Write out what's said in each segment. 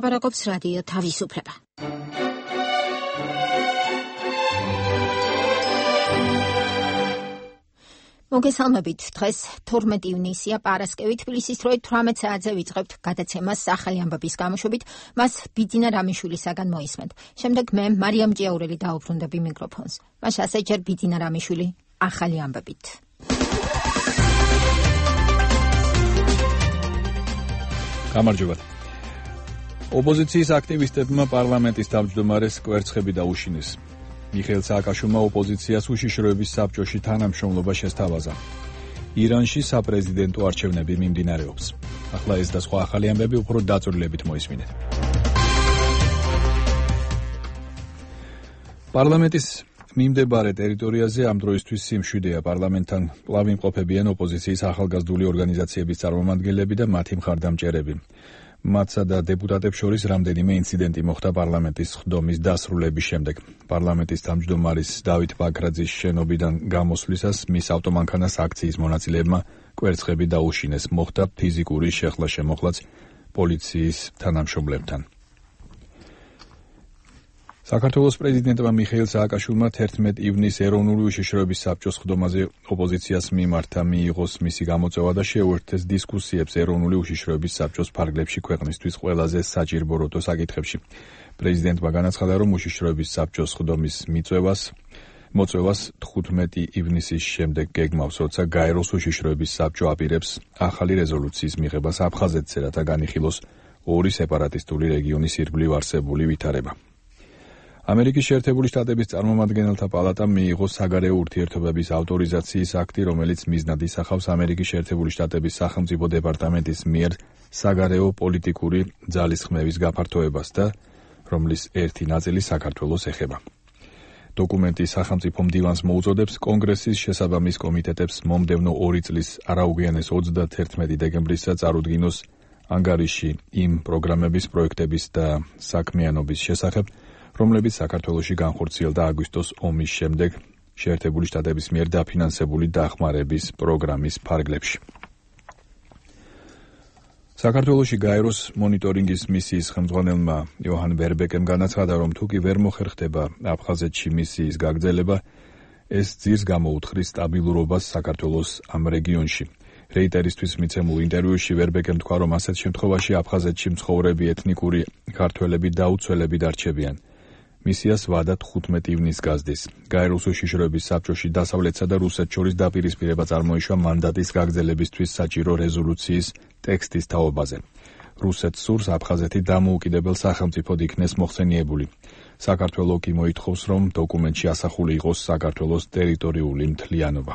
ლაპარაკობს რადიო თავისუფლება. მოგესალმებით, დღეს 12 ივნისია, პარასკევი, თბილისის დროით 18 საათზე ვიწყებთ გადაცემას ახალი ამბების გამოშვებით, მას ბიძინა რამიშვილისაგან მოისმენთ. შემდეგ მე მარიამ ჭიაურელი დაუბრუნდები მიკროფონს. მაშ ასე ჯერ ბიძინა რამიშვილი ახალი ამბებით. გამარჯობა. ოპოზიციის აქტივისტებმა პარლამენტის თავმჯდომარეს კვერცხები დაუშინეს. მიხეილ სააკაშვილმა ოპოზიციას უშიშროების საბჭოში თანამშრომლობა შესთავაზა. ირანში საპრეზიდენტო არჩევნები მიმდინარეობს. ახლა ეს და სხვა ახალი ამბები უფრო დაწვრილებით მოისმინეთ. პარლამენტის მიმდებარე ტერიტორიაზე ამ დროისთვის სიმშვიდეა. პარლამენტთან კვლავ იმყოფებიან ოპოზიციის ახალგაზრდული ორგანიზაციების წარმომადგენლები და მათი მხარდამჭერები. მათსა და დეპუტატებს შორის რამდენიმე ინციდენტი მოხდა პარლამენტის ხდომის დასრულების შემდეგ. პარლამენტის თავმჯდომარის დავით ბაქრაძის შენობიდან გამოსვლისას მის ავტომანქანას აქციის მონაწილეებმა კვერცხები დაუშინეს. მოხდა ფიზიკური შეხლა-შემოხლაც პოლიციის თანამშრომლებთან. საქართველოს პრეზიდენტმა მიხეილ სააკაშვილმა 11 ივნის ეროვნული უშიშროების საბჭოს ხდომაზე ოპოზიციას მიმართა მიიღოს მისი გამოწვევა და შეუერთდეს დისკუსიებს ეროვნული უშიშროების საბჭოს ფარგლებში ქვეყნისთვის ყველაზე საჭიროებო საკითხებში. პრეზიდენტმა განაცხადა, რომ უშიშროების საბჭოს ხდომის მოწვევას 15 ივნისის შემდეგ გეგმავს, როცა გაეროს უშიშროების საბჭო აპირებს ახალი რეზოლუციის მიღებას აფხაზეთზე, რათა განიხილოს ორი სეპარატისტული რეგიონის ირგვლივ არსებული ვითარება. ამერიკის შეერთებული შტატების წარმომადგენელთა პალატამ მიიღო საგარეო ურთიერთობების ავტორიზაციის აქტი, რომელიც მიზნად ისახავს ამერიკის შეერთებული შტატების სახელმწიფო დეპარტამენტის მიერ საგარეო პოლიტიკური ძალისხმევის გაფართოებას და რომლის ერთი ნაწილი საქართველოს ეხება. დოკუმენტი სახელმწიფო მდივანს მოუწოდებს კონგრესის შესაბამის კომიტეტებს მომდევნო 2 წლის არაუგვიანეს 31 დეკემბრისას წარუდგინოს ანგარიში იმ პროგრამების, პროექტების და საქმიანობის შესახებ, რომლებიც საქართველოში განხორციელდა აგვისტოს ომის შემდეგ შეერთებული შტატების მიერ დაფინანსებული დახმარების პროგრამის ფარგლებში. საქართველოში გაეროს მონიტორინგის მისიის ხელმძღვანელმა იოჰან ვერბეკემ განაცხადა, რომ თუ კი ვერ მოხერხდება აფხაზეთში მისიის გაგრძელება, ეს ძირს გამოუთხრის სტაბილურობას საქართველოს ამ რეგიონში. რეიტერისთვის მიცემულ ინტერვიუში ვერბეკემ თქვა, რომ ასეთ შემთხვევაში აფხაზეთში მცხოვრები ეთნიკური ქართველები დაუცველები დარჩებიან. მისიას ვადა 15 ივნისს გაზდის. გაეროს უშიშროების საბჭოში დასავლეთსა და რუსეთს შორის დაპირისპირება წარმოიშვა მანდატის გაგრძელებისთვის საჭირო რეზოლუციის ტექსტის თაობაზე. რუსეთს სურს აფხაზეთი დამოუკიდებელ სახელმწიფოდ იქნეს მოხსენიებული. საქართველო კი მოითხოვს, რომ დოკუმენტში ასახული იყოს საქართველოს ტერიტორიული მთლიანობა.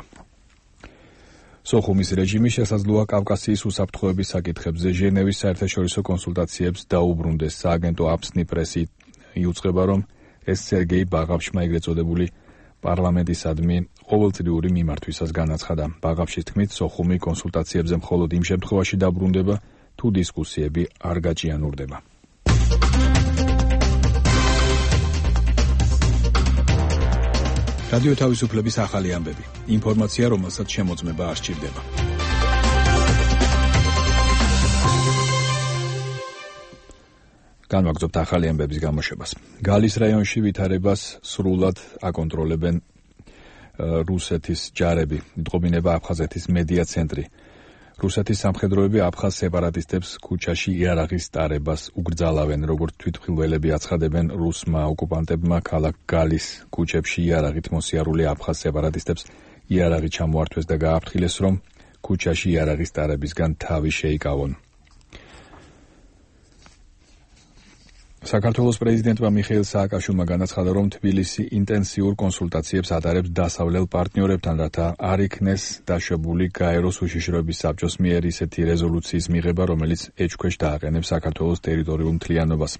სოხუმის რეჟიმი შესაძლოა კავკასიის უსაფრთხოების საკითხებზე ჟენევის საერთაშორისო კონსულტაციებს დაუბრუნდეს. სააგენტო აფსნი პრესი იუწყება, რომ ეს სერგეი ბაღავშმა ეგრეთ წოდებული პარლამენტისადმი ყოველწლიური მიმართვისას განაცხადა. ბაღავშის თქმით, სოხუმი კონსულტაციებზე მხოლოდ იმ შემთხვევაში დაბრუნდება, თუ დისკუსიები არ გაჭიანურდება. რადიო თავისუფლების ახალი ამბები. ინფორმაცია, რომელსაც შემოწმება არ სჭირდება. განვაგრძობთ ახალი ამბების გამოშვებას. გალის რაიონში ვითარებას სრულად აკონტროლებენ რუსეთის ჯარები. იტყობინება აფხაზეთის მედია ცენტრი. რუსეთის სამხედროები აფხაზ სეპარატისტებს ქუჩაში იარაღის ტარებას უგრძალავენ, როგორც თვითმხილველები აცხადებენ რუსმა ოკუპანტებმა ქალაქ გალის ქუჩებში იარაღით მოსიარული აფხაზ სეპარატისტებს იარაღი ჩამოართვეს და გააფრთხილეს, რომ ქუჩაში იარაღის ტარებისგან თავი შეიკავონ. საქართველოს პრეზიდენტმა მიხეილ სააკაშვილმა განაცხადა, რომ თბილისი ინტენსიურ კონსულტაციებს ატარებს დასავლელ პარტნიორებთან, რათა არ იქნეს დაშვებული გაეროს უშიშროების საბჭოს მიერ ისეთი რეზოლუციის მიღება, რომელიც ეჭქვეშ დააყენებს საქართველოს ტერიტორიულ მთლიანობას.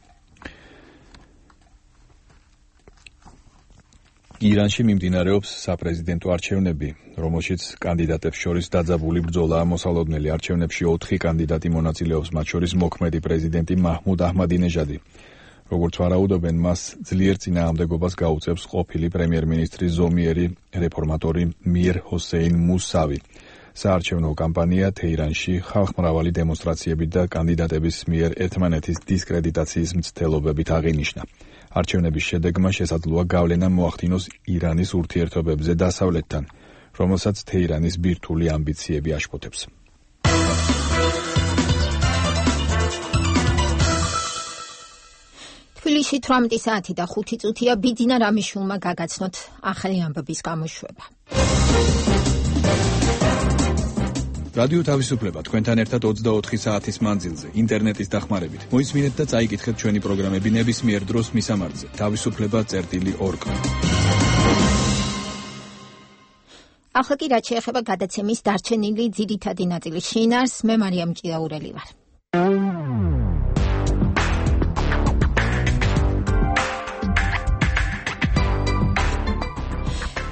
ირანში მიმდინარეობს საპრეზიდენტო არჩევნები, რომელშიც კანდიდატებს შორის დაძაბული ბრძოლაა მოსალოდნელი. არჩევნებში 4 კანდიდატი მონაწილეობს, მათ შორის მოქმედი პრეზიდენტი მაჰმუდ აჰმადინეჟადი. როგორც ვარაუდობენ, მას ძლიერ წინააღმდეგობას გაუწევს ყოფილი პრემიერ-მინისტრის ზომიერი რეფორმატორი მիր ჰოსეინ მუსავი. საარჩევნო კამპანია თეირანში ხალხმრავალი დემონსტრაციებით და კანდიდატების მიერ ერთმანეთის დისკრედიტაციის მცდელობებით აღინიშნა. არჩევნების შედეგმა შესაძლოა გავლენა მოახდინოს ირანის ურთიერთობებზე დასავლეთთან, რომელსაც თეირანის ბირთვული ამბიციები აშფოთებს. თბილისში 18 საათი და 5 წუთია ბიძინა რამიშვილმა გაგაცნოთ ახალი ამბების გამოშვება. რადიო თავისუფლება თქვენთან ერთად 24 საათის მანძილზე ინტერნეტის დახმარებით. მოისმინეთ და წაიკითხეთ ჩვენი პროგრამები ნებისმიერ დროს მისამართზე თავისუფლება.org. ახლა კი რაც შეეხება გადაცემის დარჩენილი ძირითადი ნაწილის შინაარს, მე მარიამ ჭიაურელი ვარ.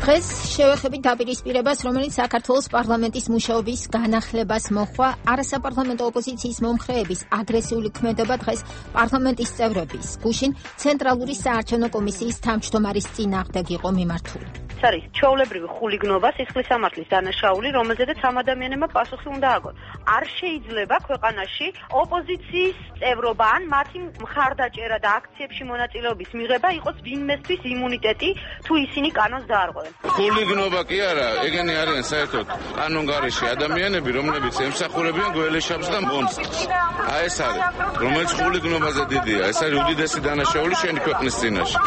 დღეს შევეხებით დაპირისპირებას, რომელიც საქართველოს პარლამენტის მუშაობის განახლებას მოჰყვა. არასაპარლამენტო ოპოზიციის მომხრეების აგრესიული ქმედება დღეს პარლამენტის წევრების გუშინ ცენტრალური საარჩევნო კომისიის თავმჯდომარის წინააღმდეგ იყო მიმართული. არის ჩვეულებრივი ხულიგნობა, სისხლის სამართლის დანაშაული, რომელზედაც ამ ადამიანებმა პასუხი უნდა აგონ. არ შეიძლება ქვეყანაში ოპოზიციის წევრობა ან მათი მხარდაჭერა და აქციებში მონაწილეობის მიღება იყოს ვინმესთვის იმუნიტეტი, თუ ისინი კანონს დაარღვევენ. ხულიგნობა კი არა, ეგენი არიან საერთოდ კანონგარეში ადამიანები, რომლებიც ემსახურებიან გველეშაპს და მონსტრს. ეს არის, რომელიც ხულიგნობაზე დიდია, ეს არის უდიდესი დანაშაული შენი ქვეყნის წინაშე.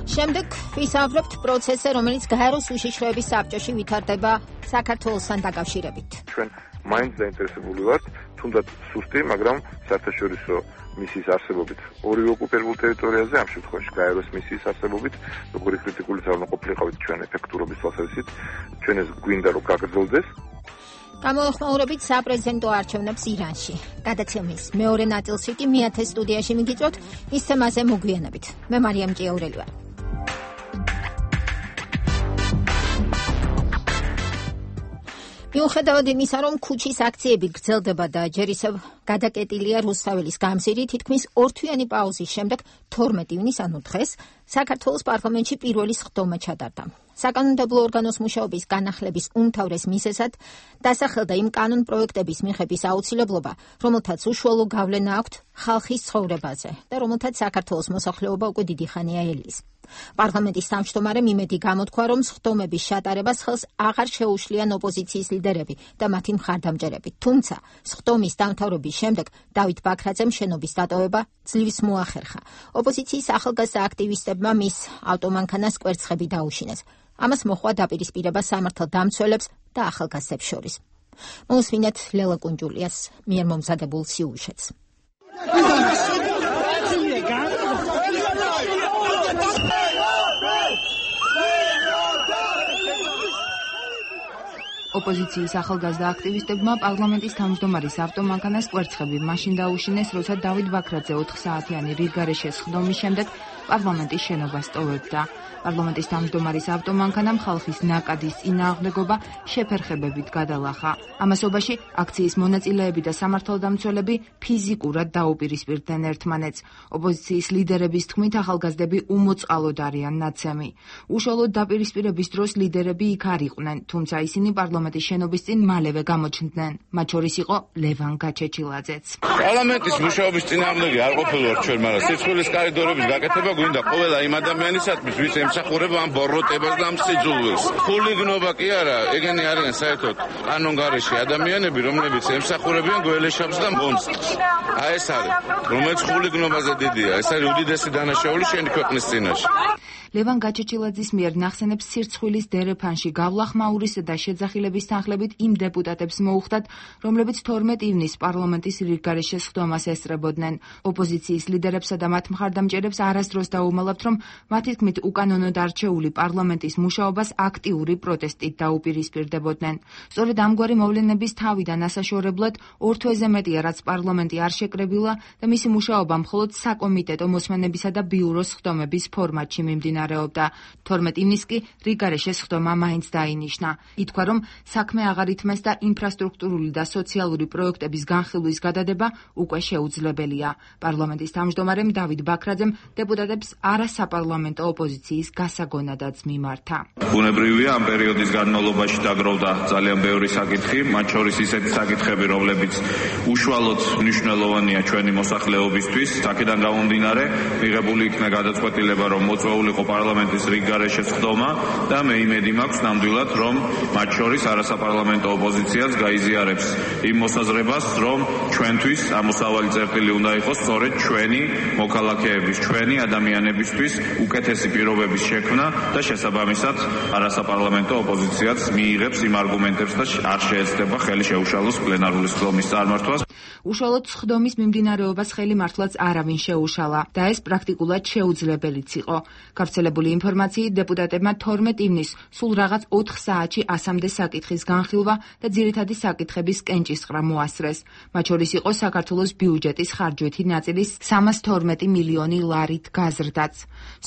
შემდეგ ვისაუბრებთ პროცესზე, რომელიც გაეროს უშიშროების საბჭოში ვითარდება საქართველოსთან დაკავშირებით. ჩვენ მაინც დაინტერესებული ვართ, თუნდაც სუსტი, მაგრამ საერთაშორისო მისიის არსებობით ორივე ოკუპირებულ ტერიტორიაზე, ამ შემთხვევაში გაეროს მისიის არსებობით, როგორი კრიტიკული ძალა ყოფილიყავით ჩვენ ეფექტურობის თვალსაზრისით, ჩვენ ეს გვინდა რომ გაგრძელდეს. გამოხმაურებით საპრეზიდენტო არჩევნებს ირანში. გადაცემის მეორე ნაწილში კი მეათე სტუდიაში მიგიწვევთ ის თემაზე მოგვიანებით. მე მარიამ ჭიაურელი ვარ. მიუხედავად იმისა, რომ ქუჩის აქციები გრძელდება და ჯერ ისევ გადაკეტილია რუსთაველის გამზირი, თითქმის ორთვიანი პაუზის შემდეგ 12 ივნის, ანუ დღეს, საქართველოს პარლამენტში პირველი სხდომა ჩატარდა. საკანონმდებლო ორგანოს მუშაობის განახლების უმთავრეს მიზეზად დასახელდა იმ კანონ პროექტების მიღების აუცილებლობა, რომელთაც უშუალო გავლენა აქვთ ხალხის ცხოვრებაზე და რომელთაც საქართველოს მოსახლეობა უკვე დიდი ხანია ელის. პარლამენტის თავმჯდომარემ იმედი გამოთქვა, რომ სხდომების შეტარებას ხელს აღარ შეუშლიან ოპოზიციის ლიდერები და მათი მხარდამჭერები. თუმცა, სხდომის დამთავრების შემდეგ დავით ბაქრაძემ შენობის დატოვება ძლივს მოახერხა. ოპოზიციის ახალგაზრდა აქტივისტებმა მის ავტომანქანას კვერცხები დაუშინეს. ამას მოჰყვა დაპირისპირება სამართალდამცველებს და ახალგაზრდებს შორის. მოусმინეთ ლელა კუნჯულიას მიერ მომზადებულ სიუჟეტს. ოპოზიციის ახალგაზრდა აქტივისტებმა პარლამენტის თავმჯდომარის ავტომანქანას კვერცხები მაშინ დაუშინეს, როცა დავით ბაქრაძე 4 საათიანი რიგგარეშე სხდომის შემდეგ პარლამენტის შენობას ტოვებდა. პარლამენტის თავმჯდომარის ავტომანქანამ ხალხის ნაკადის წინააღმდეგობა შეფერხებებით გადალახა. ამასობაში აქციის მონაწილეები და სამართალდამცველები ფიზიკურად დაუპირისპირდნენ ერთმანეთს. ოპოზიციის ლიდერების თქმით, ახალგაზრდები უმოწყალოდ არიან ნაცემი. უშუალოდ დაპირისპირების დროს ლიდერები იქ არ იყვნენ, თუმცა ისინი პარლამენტის შენობის წინ მალევე გამოჩნდნენ. მათ შორის იყო ლევან გაჩეჩილაძეც. პარლამენტის მუშაობის წინააღმდეგი არ ყოფილვართ ჩვენ, მაგრამ სიცხვილის კორიდორების გაკეთება გვინდა ყველა იმ ადამიანისათვის, ვის ემსახურება ამ ბოროტებას და ამ სიძულვილს. ხულიგნობა კი არა, ეგენი არიან საერთოდ კანონგარეში ადამიანები, რომლებიც ემსახურებიან გველეშაპს და მონსტრს. ეს არის, რომელიც ხულიგნობაზე დიდია, ეს არის უდიდესი დანაშაული შენი ქვეყნის წინაშე. ლევან გაჩეჩილაძის მიერ ნახსენებს სირცხვილის დერეფანში გავლახმაურის და შეძახილების თანხლებით იმ დეპუტატებს მოუხდათ, რომლებიც 12 ივნის პარლამენტის რიგგარეშე სხდომას ესწრებოდნენ. ოპოზიციის ლიდერებსა და მათ მხარდამჭერებს არასდროს დაუმალავთ, რომ მათი თქმით უკანონოდ არჩეული პარლამენტის მუშაობას აქტიური პროტესტით დაუპირისპირდებოდნენ. სწორედ ამგვარი მოვლენების თავიდან ასაშორებლად 2 თვეზე მეტია, რაც პარლამენტი არ შეკრებილა და მისი მუშაობა მხოლოდ საკომიტეტო მოსმენებისა და ბიუროს სხდომების ფორმატში მიმდინარეობს. მიმდინარეობდა. 12 ივნისს კი რიგარეშე სხდომა მაინც დაინიშნა. ითქვა, რომ საქმე აღარ ითმეს და ინფრასტრუქტურული და სოციალური პროექტების განხილვის გადადება უკვე შეუძლებელია. პარლამენტის თავმჯდომარემ დავით ბაქრაძემ დეპუტატებს არასაპარლამენტო ოპოზიციის გასაგონადაც მიმართა. ბუნებრივია, ამ პერიოდის განმავლობაში დაგროვდა ძალიან ბევრი საკითხი, მათ შორის ისეთი საკითხები, რომლებიც უშუალოდ მნიშვნელოვანია ჩვენი მოსახლეობისთვის. აქედან გამომდინარე, მიღებული იქნა გადაწყვეტილება, რომ მოწვეულიყო პარლამენტის რიგგარეშე სხდომა და მე იმედი მაქვს ნამდვილად, რომ მათ შორის არასაპარლამენტო ოპოზიციაც გაიზიარებს იმ მოსაზრებას, რომ ჩვენთვის ამოსავალი წერტილი უნდა იყოს სწორედ ჩვენი მოქალაქეების, ჩვენი ადამიანებისთვის უკეთესი პირობების შექმნა და შესაბამისად არასაპარლამენტო ოპოზიციაც მიიღებს იმ არგუმენტებს და არ შეეცდება ხელი შეუშალოს პლენარული სხდომის წარმართვას. უშუალოდ სხდომის მიმდინარეობას ხელი მართლაც არავინ შეუშალა და ეს პრაქტიკულად შეუძლებელიც იყო. გავრცელებული ინფორმაციით დეპუტატებმა 12 ივნისს სულ რაღაც 4 საათში 100-მდე საკითხის განხილვა და ძირითადი საკითხების კენჭისყრა მოასწრეს. მათ შორის იყო საქართველოს ბიუჯეტის ხარჯვითი ნაწილის 312 მილიონი ლარით გაზრდაც.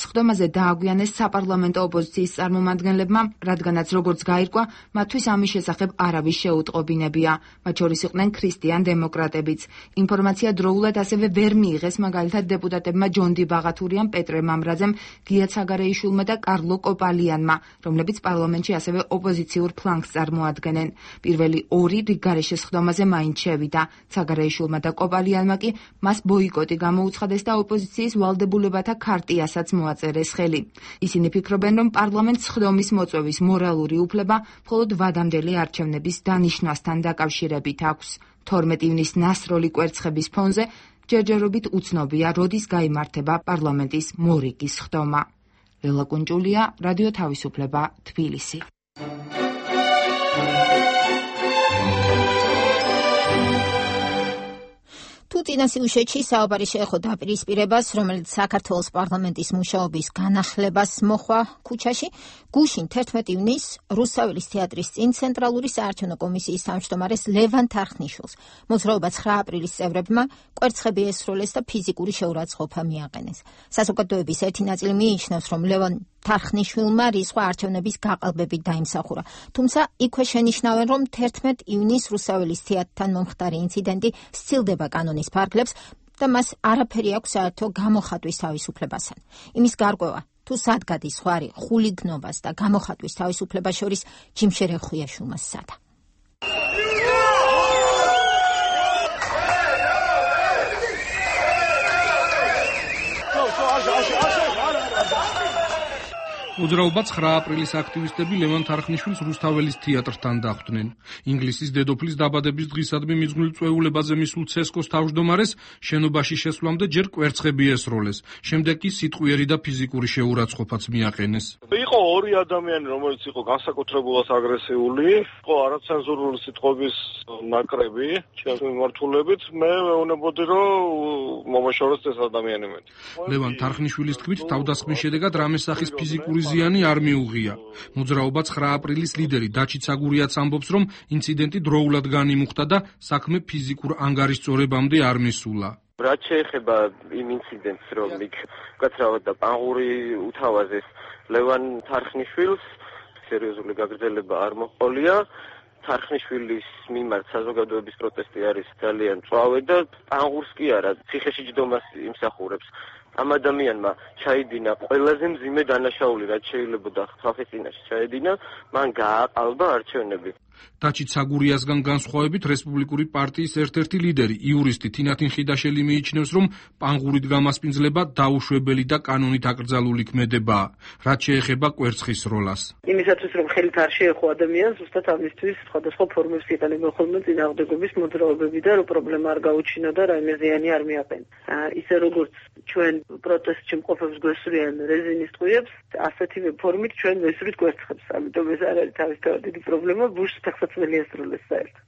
სხდომაზე დააგვიანეს საპარლამენტო ოპოზიციის წარმომადგენლებმა, რადგანაც როგორც გაირკვა, მათთვის ამის შესახებ არავის შეუტყობინებია. მათ შორის იყვნენ ქრისტიან დემოკრატებიც. ინფორმაცია დროულად ასევე ვერ მიიღეს მაგალითად დეპუტატებმა ჯონდი ბაღათურიამ, პეტრე მამრაძემ, გია ცაგარეიშვილმა და კარლო კოპალიანმა, რომლებიც პარლამენტში ასევე ოპოზიციურ ფლანგს წარმოადგენენ. პირველი ორი რიგგარეშე სხდომაზე მაინც შევიდა. ცაგარეიშვილმა და კოპალიანმა კი მას ბოიკოტი გამოუცხადეს და ოპოზიციის ვალდებულებათა ქარტიასაც მოაწერეს ხელი. ისინი ფიქრობენ, რომ პარლამენტს სხდომის მოწვევის მორალური უფლება მხოლოდ ვადამდელი არჩევნების დანიშნვასთან დაკავშირებით აქვს. 12 ივნისს ნასროლი კვერცხების ფონზე ჯერჯერობით უცნობია, როდის გაიმართება პარლამენტის მორიგის სხდომა. ლელა კუნჭულია, რადიო თავისუფლება, თბილისი. თუ წინასიუჟეტში საუბარი შეეხო დაპირისპირებას, რომელიც საქართველოს პარლამენტის მუშაობის განახლებას მოხვა ქუჩაში, გუშინ 11 ივნისს რუსთაველის თეატრის წინ ცენტრალური საარჩევნო კომისიის თავმჯდომარეს ლევან თარხნიშვილს მოძრაობა 9 აპრილის წევრებმა კვერცხები ესროლეს და ფიზიკური შეურაცხყოფა მიაყენეს. საზოგადოების ერთი ნაწილი მიიჩნევს, რომ ლევან თარხნიშვილმა რისხვა არჩევნების გაყალბებით დაიმსახურა. თუმცა იქვე შენიშნავენ, რომ 11 ივნისს რუსთაველის თეატრთან მომხდარი ინციდენტი სცილდება კანონის ფარგლებს და მას არაფერი აქვს საერთო გამოხატვის თავისუფლებასთან. იმის გარკვევა, თუ სად გადის ზღვარი ხულიგნობას და გამოხატვის თავისუფლებას შორის, ჯიმშერე ხვიაშვილმა სცადა. მოძრაობა 9 აპრილის აქტივისტები ლევან თარხნიშვილს რუსთაველის თეატრთან დახვდნენ. ინგლისის დედოფლის დაბადების დღისადმი მიძღვნილ წვეულებაზე მისულ ცესკოს თავმჯდომარეს შენობაში შესვლამდე ჯერ კვერცხები ესროლეს, შემდეგ კი სიტყვიერი და ფიზიკური შეურაცხყოფაც მიაყენეს. იყო ორი ადამიანი, რომელიც იყო განსაკუთრებულად აგრესიული, იყო არაცენზურული სიტყვების ნაკრები, ჩემს მიმართულებით, მე მეუბნებოდი, რომ მომაშოროს ეს ადამიანები. ლევან თარხნიშვილის თქმით, თავდასხმის შედეგად რამესახის ფიზიკური ზიანი არ მიუღია. მოძრაობა 9 აპრილის ლიდერი დაჩი ცაგურიაც ამბობს, რომ ინციდენტი დროულად განიმუხტა და საქმე ფიზიკურ ანგარიშწორებამდე არ მისულა. რაც შეეხება იმ ინციდენტს, რომ იქ უკაცრავად და პანღური უთავაზეს ლევან თარხნიშვილს, სერიოზული გაგრძელება არ მოჰყოლია. თარხნიშვილის მიმართ საზოგადოების პროტესტი არის ძალიან მწვავე და პანღურს კი არა, ციხეში ჯდომას იმსახურებს. ამ ადამიანმა ჩაიდინა ყველაზე მძიმე დანაშაული, რაც შეიძლება ხალხის წინაშე ჩაედინა, მან გააყალბა არჩევნები. დაჩი ცაგურიასგან განსხვავებით რესპუბლიკური პარტიის ერთ-ერთი ლიდერი, იურისტი თინათინ ხიდაშელი მიიჩნევს, რომ პანღურით გამასპინძლება დაუშვებელი და კანონით აკრძალული ქმედებაა, რაც შეეხება კვერცხის როლას. იმისათვის, რომ ხელით არ შეეხო ადამიანს, ზუსტად ამისთვის სხვადასხვა ფორმებს იყენებენ ხოლმე წინააღმდეგობის მოძრაობები და რომ პრობლემა არ გაუჩინა და რაიმე ზიანი არ მიაყენა. ისე როგორც ჩვენ პროტესტში მყოფებს გვესვრიან რეზინის ტყვიებს, ასეთივე ფორმით ჩვენ ვესვრით კვერცხებს. ამიტომ ეს არ არის თავისთავად დიდი პრობლემა, ბუშს ფეხსაცმელი ესროლეს საერთოდ.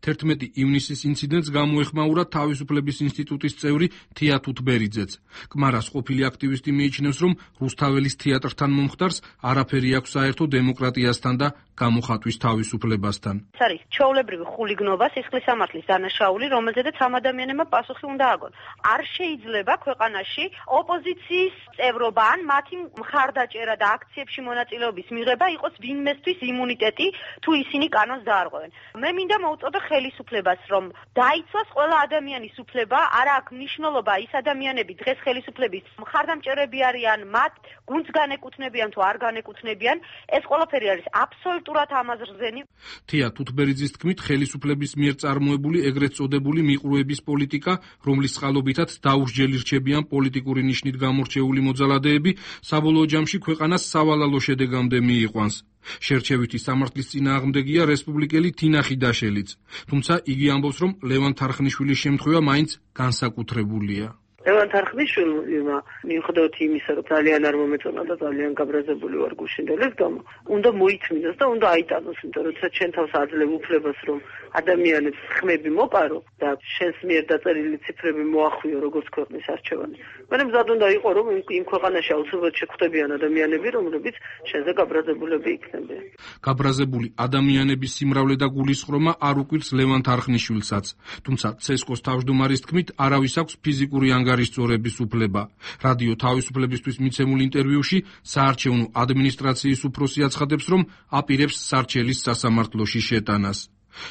11 ივნისის ინციდენტს გამოეხმაურა თავისუფლების ინსტიტუტის წევრი თია თუთბერიძეც. კმარას ყოფილი აქტივისტი მიიჩნევს, რომ რუსთაველის თეატრთან მომხდარს არაფერი აქვს საერთო დემოკრატიასთან და გამოხატვის თავისუფლებასთან. ეს არის ჩვეულებრივი ხულიგნობა, სისხლისამართლის დანაშაული, რომელზედაც ამ ადამიანებმა პასუხი უნდა აგონ. არ შეიძლება ქვეყანაში ოპოზიციის წევრობა ან მათი მხარდაჭერა და აქციებში მონაწილეობის მიღება იყოს ვინმესთვის იმუნიტეტი, თუ ისინი კანონს დაარღვევენ. მე მინდა მოვუწოდო ხელისუფლებას, რომ დაიცვას ყველა ადამიანის უფლება, არა აქვს მნიშვნელობა ის ადამიანები დღეს ხელისუფლების მხარდამჭერები არიან, მათ გუნდს განეკუთვნებიან თუ არ განეკუთვნებიან, ეს ყველაფერი არის აბსოლუტურად ამაზრზენი. თია თუთბერიძის თქმით, ხელისუფლების მიერ წარმოებული ეგრეთ წოდებული მიყრუების პოლიტიკა, რომლის წყალობითაც დაუსჯელი რჩებიან პოლიტიკური ნიშნით გამორჩეული მოძალადეები, საბოლოო ჯამში ქვეყანას სავალალო შედეგამდე მიიყვანს. შერჩევითი სამართლის წინააღმდეგია რესპუბლიკელი თინა ხიდაშელიც. თუმცა იგი ამბობს, რომ ლევან თარხნიშვილის შემთხვევა მაინც განსაკუთრებულია. ლევან თარხნიშვილმა მიუხედავად იმისა, რომ ძალიან არ მომეწონა და ძალიან გაბრაზებული ვარ გუშინდელის გამო, უნდა მოითმინოს და უნდა აიტანოს, იმიტომ რომ ჩვენ თავს აძლევ უფლებას, რომ ადამიანებს ხმები მოპარო და შენს მიერ დაწერილი ციფრები მოახვიო როგორც ქვეყნის არჩევანი. მე მზად უნდა იყო, რომ იმ ქვეყანაში აუცილებლად შეხვდებიან ადამიანები, რომლებიც შენზე გაბრაზებულები იქნებიან. გაბრაზებული ადამიანების სიმრავლე და გულისხრომა არ უკვირს ლევან თარხნიშვილსაც, თუმცა ცესკოს თავმჯდომარის თქმით, არავის აქვს ფიზიკური ანგარიშწორების უფლება. რადიო თავისუფლებისთვის მიცემულ ინტერვიუში საარჩევნო ადმინისტრაციის უფროსი აცხადებს, რომ აპირებს სარჩელის სასამართლოში შეტანას.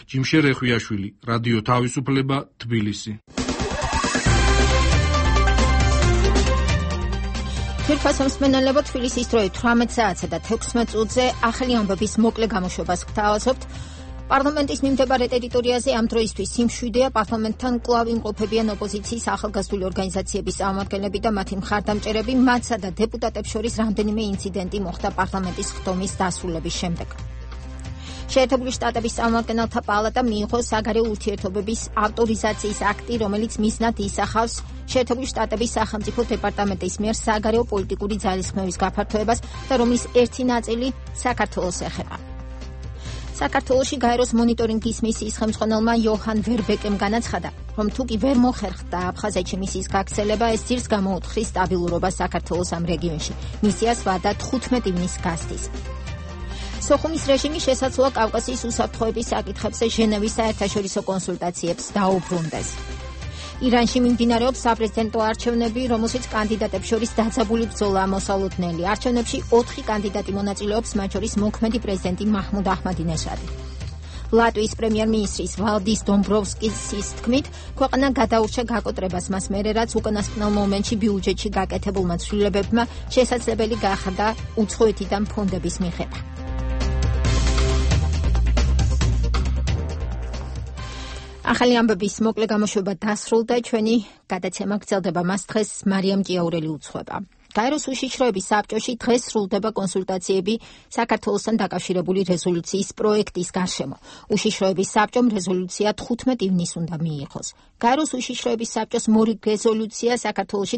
ჯიმშე რეხვიაშვილი, რადიო თავისუფლება, თბილისი. თვითფასმსმენელებო, თბილისის დროით 18 საათსა და 16 წუთზე ახალი ამბების მოკლე გამოშვებას გთავაზობთ. პარლამენტის მიმდებარე ტერიტორიაზე ამ დროისთვის სიმშვიდეა, პარლამენტთან კვლავ იმყოფებიან ოპოზიციის ახალგაზრდული ორგანიზაციების წარმომადგენლები და მათი მხარდამჭერები, მათსა და დეპუტატებს შორის რამდენიმე ინციდენტი მოხდა პარლამენტის ხდომის დასრულების შემდეგ. შეერთებული შტატების წარმომადგენელთა პალატა მიიღო საგარეო ურთიერთობების ავტორიზაციის აქტი, რომელიც მიზნად ისახავს შეერთებული შტატების სახელმწიფო დეპარტამენტის მიერ საგარეო პოლიტიკური ძალისხმევის გაფართოებას და რომლის ერთი ნაწილი საქართველოს ეხება. საქართველოში გაეროს მონიტორინგის მისიის ხელმძღვანელმა იოჰან ვერბეკემ განაცხადა, რომ თუ კი ვერ მოხერხდა აფხაზეთში მისიის გაქცენება, ეს ძირს გამოუთხრის სტაბილურობას საქართველოს ამ რეგიონში. მისიას ვადა 15 ივნისს გასდის. სოხუმის რეჟიმი შესაძლოა კავკასიის უსაფრთხოების საკითხებზე ჟენევის საერთაშორისო კონსულტაციებს დაუბრუნდეს. ირანში მიმდინარეობს საპრეზიდენტო არჩევნები, რომელშიც კანდიდატებს შორის დაძაბული ბრძოლაა მოსალოდნელი. არჩევნებში 4 კანდიდატი მონაწილეობს, მათ შორის მოქმედი პრეზიდენტი მაჰმუდ აჰმადინეჟადი. ლატვიის პრემიერ-მინისტრის ვალდის დომბროვსკის თქმით, ქვეყანა გადაურჩა გაკოტრებას მას მერე, რაც უკანასკნელ მომენტში ბიუჯეტში გაკეთებულმა ცვლილებებმა შესაძლებელი გახადა უცხოეთიდან ფონდების მიღება. ახალი ამბების მოკლე გამოშვება დასრულდა, ჩვენი გადაცემა გრძელდება, მას დღეს მარიამ ჭიაურელი უძღვება. გაეროს უშიშროების საბჭოში დღეს სრულდება კონსულტაციები საქართველოსთან დაკავშირებული რეზოლუციის პროექტის გარშემო. უშიშროების საბჭომ რეზოლუცია 15 ივნისს უნდა მიიღოს. გაეროს უშიშროების საბჭოს მორი რეზოლუცია საქართველოში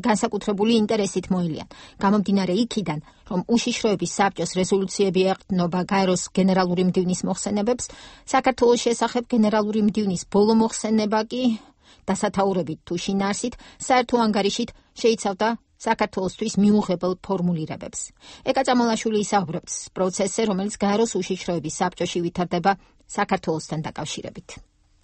განსაკუთრებული ინტერესით მოილიან. გამომდინარე იქიდან, რომ უშიშროების საბჭოს რეზოლუციები ეყრდნობა გაეროს გენერალური მდივნის მოხსენებებს, საქართველოს შესახებ გენერალური მდივნის ბოლო მოხსენება კი დასათაურებით თუ შინაარსით, საერთო ანგარიშით შეიცავდა საქართველოსთვის მიუღებელ ფორმულირებებს. ეკა წამალაშვილი ისაუბრებს პროცესზე, რომელიც გაეროს უშიშროების საბჭოში ვითარდება საქართველოსთან დაკავშირებით.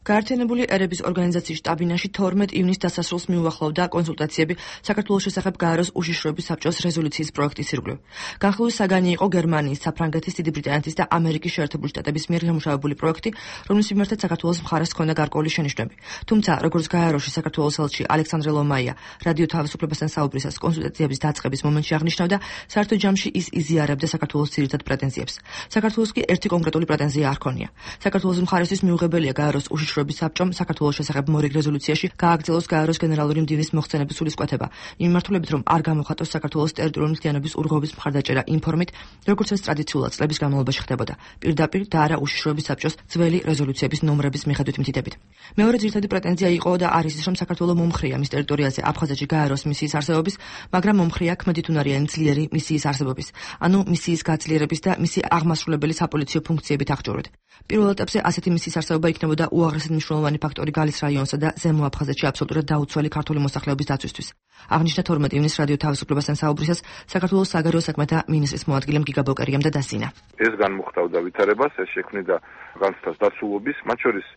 გაერთიანებული ერების ორგანიზაციის შტაბ-ბინაში 12 ივნისს დასასრულს მიუახლოვდა კონსულტაციები საქართველოს შესახებ გაეროს უშიშროების საბჭოს რეზოლუციის პროექტის ირგვლივ. განხილვის საგანი იყო გერმანიის, საფრანგეთის, დიდი ბრიტანეთის და ამერიკის შეერთებული შტატების მიერ შემუშავებული პროექტი, რომლის მიმართაც საქართველოს მხარეს ჰქონდა გარკვეული შენიშვნები. თუმცა, როგორც გაეროში საქართველოს ელჩი ალექსანდრე ლომაია რადიო თავისუფლებასთან საუბრისას კონსულტაციების დაწყების მომენტში აღნიშნავდა, საერთო ჯამში ის იზიარებდა საქართველოს ძირითად პრეტენზიებს. საქართველოს კი ერთი კონკრეტული პრეტენზია არ ჰქონია. საქართველოს მხარესთვის მიუღებელია გაეროს უშიშროების უშიშროების საბჭომ საქართველოს შესახებ მორიგ რეზოლუციაში გააგრძელოს გაეროს გენერალური მდივნის მოხსენების სულისკვეთება, იმ მიმართულებით, რომ არ გამოხატოს საქართველოს ტერიტორიული მთლიანობის ურღვევის მხარდაჭერა იმ ფორმით, როგორც ეს ტრადიციულად წლების განმავლობაში ხდებოდა, პირდაპირ და არა უშიშროების საბჭოს ძველი რეზოლუციების ნომრების მიხედვით მითითებით. მეორე ძირითადი პრეტენზია იყო და არის ის, რომ საქართველოს მომხრია მის ტერიტორიაზე აფხაზეთში გაეროს მისიის არსებობის, მაგრამ მომხრია ქმედითუნარიანი ძლიერი მისიის არსებობის, ანუ მისიის გაძლიერების და მისი აღმასრულებელი საპოლიციო ფუნქციებით აღჭურვით. პირველ ეტაპზე ასეთი მისიის არსებობა იქნებოდა უაღრესად მნიშვნელოვანი ფაქტორი გალის რაიონსა და ზემო აფხაზეთში აბსოლუტურად დაუცველი ქართული მოსახლეობის დაცვისთვის. აღნიშნა 12 ივნის რადიო თავისუფლებასთან საუბრისას საქართველოს საგარეო საქმეთა მინისტრის მოადგილემ გიგა ბოკერიამ და დასინა. ეს განმუხტავდა ვითარებას, ეს შექმნიდა განცდას დაცულობის, მათ შორის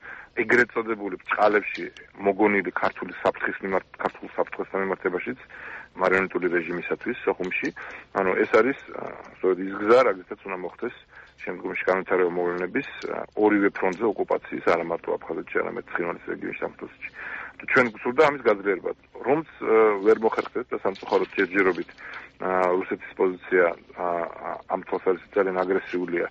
ეგრეთ წოდებული ბჭყალებში მოგონილი ქართული საფრთხის საფრთხესთან მიმართებაშიც მარიონეტული რეჟიმისათვის სოხუმში, ანუ ეს არის ის გზა, რადგანაც უნდა მოხდეს შემდგომში განვითარება მოვლენების ორივე ფრონტზე ოკუპაციის, არა მარტო აფხაზეთში, არამედ ცხინვალის რეგიონში სამწუხაროდ. ჩვენ გვსურდა ამის გაძლიერება, რომც ვერ მოხერხდეს და სამწუხაროდ ჯერჯერობით რუსეთის პოზიცია ამ თვალსაზრისით ძალიან აგრესიულია.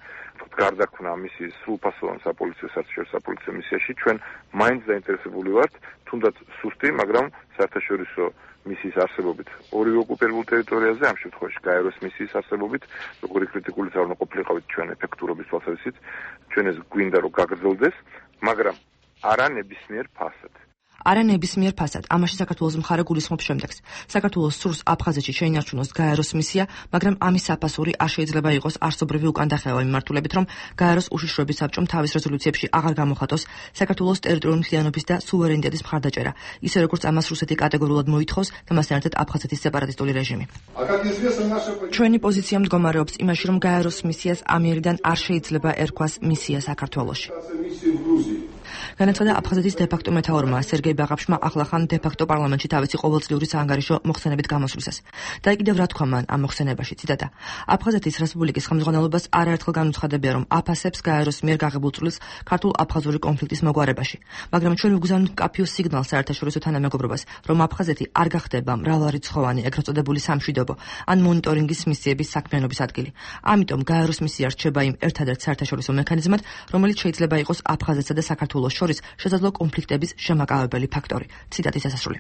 გარდაქმნა მისი სრულფასოვან საპოლიციო საპოლიციო მისიაში ჩვენ მაინც დაინტერესებული ვართ, თუნდაც სუსტი, მაგრამ საერთაშორისო მისიის არსებობით ორივე ოკუპირებულ ტერიტორიაზე, ამ შემთხვევაში გაეროს მისიის არსებობით, როგორი კრიტიკული უნდა ყოფილიყავით ჩვენ ეფექტურობის თვალსაზრისით, ჩვენ ეს გვინდა რომ გაგრძელდეს, მაგრამ არა ნებისმიერ ფასად. არა ნებისმიერ ფასად. ამაში საქართველოს მხარე გულისხმობს შემდეგს. საქართველოს სურს აფხაზეთში შეინარჩუნოს გაეროს მისია, მაგრამ ამის საფასური არ შეიძლება იყოს არსობრივი უკანდახევა მიმართულებით, რომ გაეროს უშიშროების საბჭომ თავის რეზოლუციებში აღარ გამოხატოს საქართველოს ტერიტორიული მთლიანობის და სუვერენიტეტის მხარდაჭერა, ისე როგორც ამას რუსეთი კატეგორიულად მოითხოვს და მასთან ერთად აფხაზეთის სეპარატისტული რეჟიმი. ჩვენი პოზიცია მდგომარეობს იმაში, რომ გაეროს მისიას ამიერიდან არ შეიძლება ერქვას მისია საქართველოში. განაცხადა აფხაზეთის დე-ფაქტო მეთაურმა სერგეი ბაღაფშმა ახლახან დე-ფაქტო პარლამენტში თავისი ყოველწლიური საანგარიშო მოხსენებით გამოსვლისას. და კიდევ რა თქვა მან ამ მოხსენებაში, ციტატა: აფხაზეთის რესპუბლიკის ხელმძღვანელობას არაერთხელ განუცხადებია, რომ აფასებს გაეროს მიერ გაღებულ წვლილს ქართულ-აფხაზური კონფლიქტის მოგვარებაში, მაგრამ ჩვენ ვგზავნით მკაფიო სიგნალს საერთაშორისო თანამეგობრობას, რომ აფხაზეთი არ გახდება მრავალრიცხოვანი ეგრეთ წოდებული სამშვიდობო ან მონიტორინგის მისიების საქმიანობის ადგილი. ამიტომ გაეროს მისია რჩება იმ ერთადერთ საერთაშორისო მექანიზმად, რომელიც შეიძლება იყოს აფხაზეთსა და საქართველოს შორის შესაძლო კონფლიქტების შემაკავებელი ფაქტორი. ციტატის დასასრული.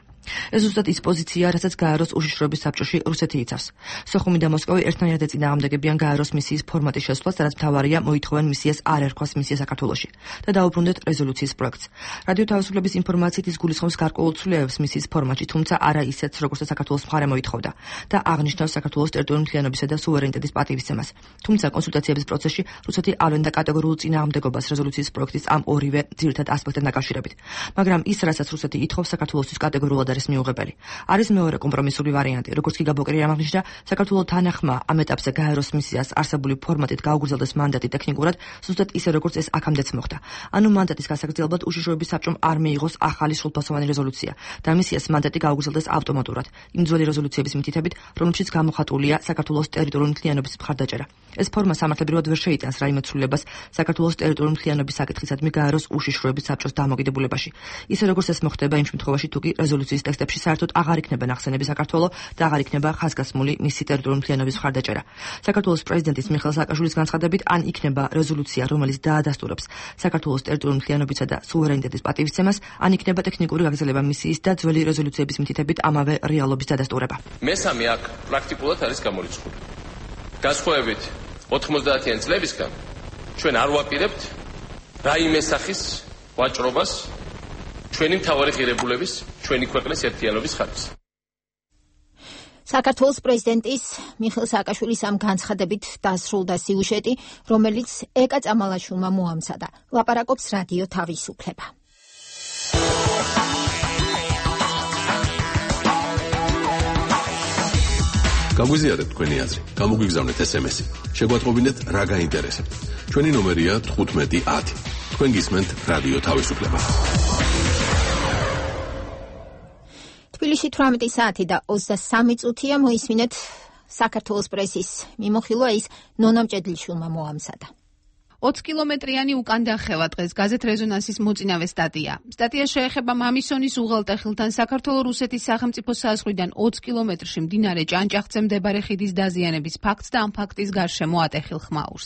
ეს ზუსტად ის პოზიცია, რასაც გაეროს უშიშროების საბჭოში რუსეთი იცავს. სოხუმი და მოსკოვი ერთნაირად ეწინააღმდეგებიან გაეროს მისიის ფორმატის შესვლას, რაც მთავარია მოითხოვენ მისიას არ ერქვას მისია საქართველოში და დაუბრუნდეთ რეზოლუციის პროექტს. რადიო თავისუფლების ინფორმაციით ის გულისხმობს გარკვეულ ცვლილებებს მისიის ფორმატში, თუმცა არა ისეთს, როგორც საქართველოს მხარე მოითხოვდა და აღნიშნავს საქართველოს ტერიტორიული მთლიანობისა და სუვერენიტეტის პატივისცემას. თუმცა კონსულტაციების პროცესში რუსეთი ავლენდა კატეგორიულ წინააღმდეგობას რეზოლუციის პროექტის ამ ორივე ძირითად ასპექტთან დაკავშირებით. მაგრამ ის, რასაც რუსეთი ითხოვს, საქართველოსთვის კატეგორიულად არის მიუღებელი. არის მეორე კომპრომისული ვარიანტი, როგორც კი გაბოკერიამ აღნიშნა, საქართველოს თანახმა ამ ეტაპზე გაეროს მისიას არსებული ფორმატით გაუგრძელდეს მანდატი ტექნიკურად, ზუსტად ისე როგორც ეს აქამდეც მოხდა. ანუ მანდატის გასაგრძელებლად უშიშროების საბჭომ არ მიიღოს ახალი სრულფასოვანი რეზოლუცია და მისიას მანდატი გაუგრძელდეს ავტომატურად, იმ ძველი რეზოლუციების მითითებით, რომლებშიც გამოხატულია საქართველოს ტერიტორიული მთლიანობის მხარდაჭერა. ეს ფორმა სამართლებრივად ვერ შეიტანს რაიმე ცვლილებას საქართველოს ტერიტორიული მთლიანობის საკითხისადმი გაეროს უშიშროების საბჭოს დამოკიდებულებაში. ისე როგორც ეს მოხდება იმ შემთხვევაში, თუ კი რეზოლუციის ტექსტებში საერთოდ აღარ იქნება ნახსენები საქართველოს და აღარ იქნება ხაზგასმული მისი ტერიტორიული მთლიანობის მხარდაჭერა. საქართველოს პრეზიდენტის მიხეილ სააკაშვილის განცხადებით, ან იქნება რეზოლუცია, რომელიც დაადასტურებს საქართველოს ტერიტორიული მთლიანობისა და სუვერენიტეტის პატივისცემას, ან იქნება ტექნიკური გაგრძელება მისიის და ძველი რეზოლუციების მითითებით ამავე რეალობის დადასტურება. მესამე აქ პრაქტიკულად არის გამორიცხული. განსხვავებით 90-იან წლებისგან ჩვენ არ ვაპირებთ რაიმე სახის ვაჭრობას ჩვენი მთავარი ღირებულების, ჩვენი ქვეყნის ერთიანობის ხარჯზე. საქართველოს პრეზიდენტის მიხეილ სააკაშვილის ამ განცხადებით დასრულდა სიუჟეტი, რომელიც ეკა წამალაშვილმა მოამზადა. ლაპარაკობს რადიო თავისუფლება. გაგვიზიარეთ თქვენი აზრი, გამოგვიგზავნეთ SMS-ი. შეგვატყობინეთ რა გაინტერესებთ. ჩვენი ნომერია 1510. თქვენ გისმენთ რადიო თავისუფლება. თბილისში 18 საათი და 23 წუთია მოისმინეთ საქართველოს პრესის მიმოხილვა, ის ნონა მჭედლიშვილმა მოამზადა. 20 კილომეტრიანი უკან დახევა დღეს გაზეთ რეზონანსის მოწინავე სტატია. სტატია შეეხება მამისონის უღელტეხილთან საქართველო-რუსეთის სახელმწიფო საზღვრიდან 20 კილომეტრში მდინარე ჭანჭახზე მდებარე ხიდის დაზიანების ფაქტს და ამ ფაქტის გარშემო ატეხილ ხმაურს.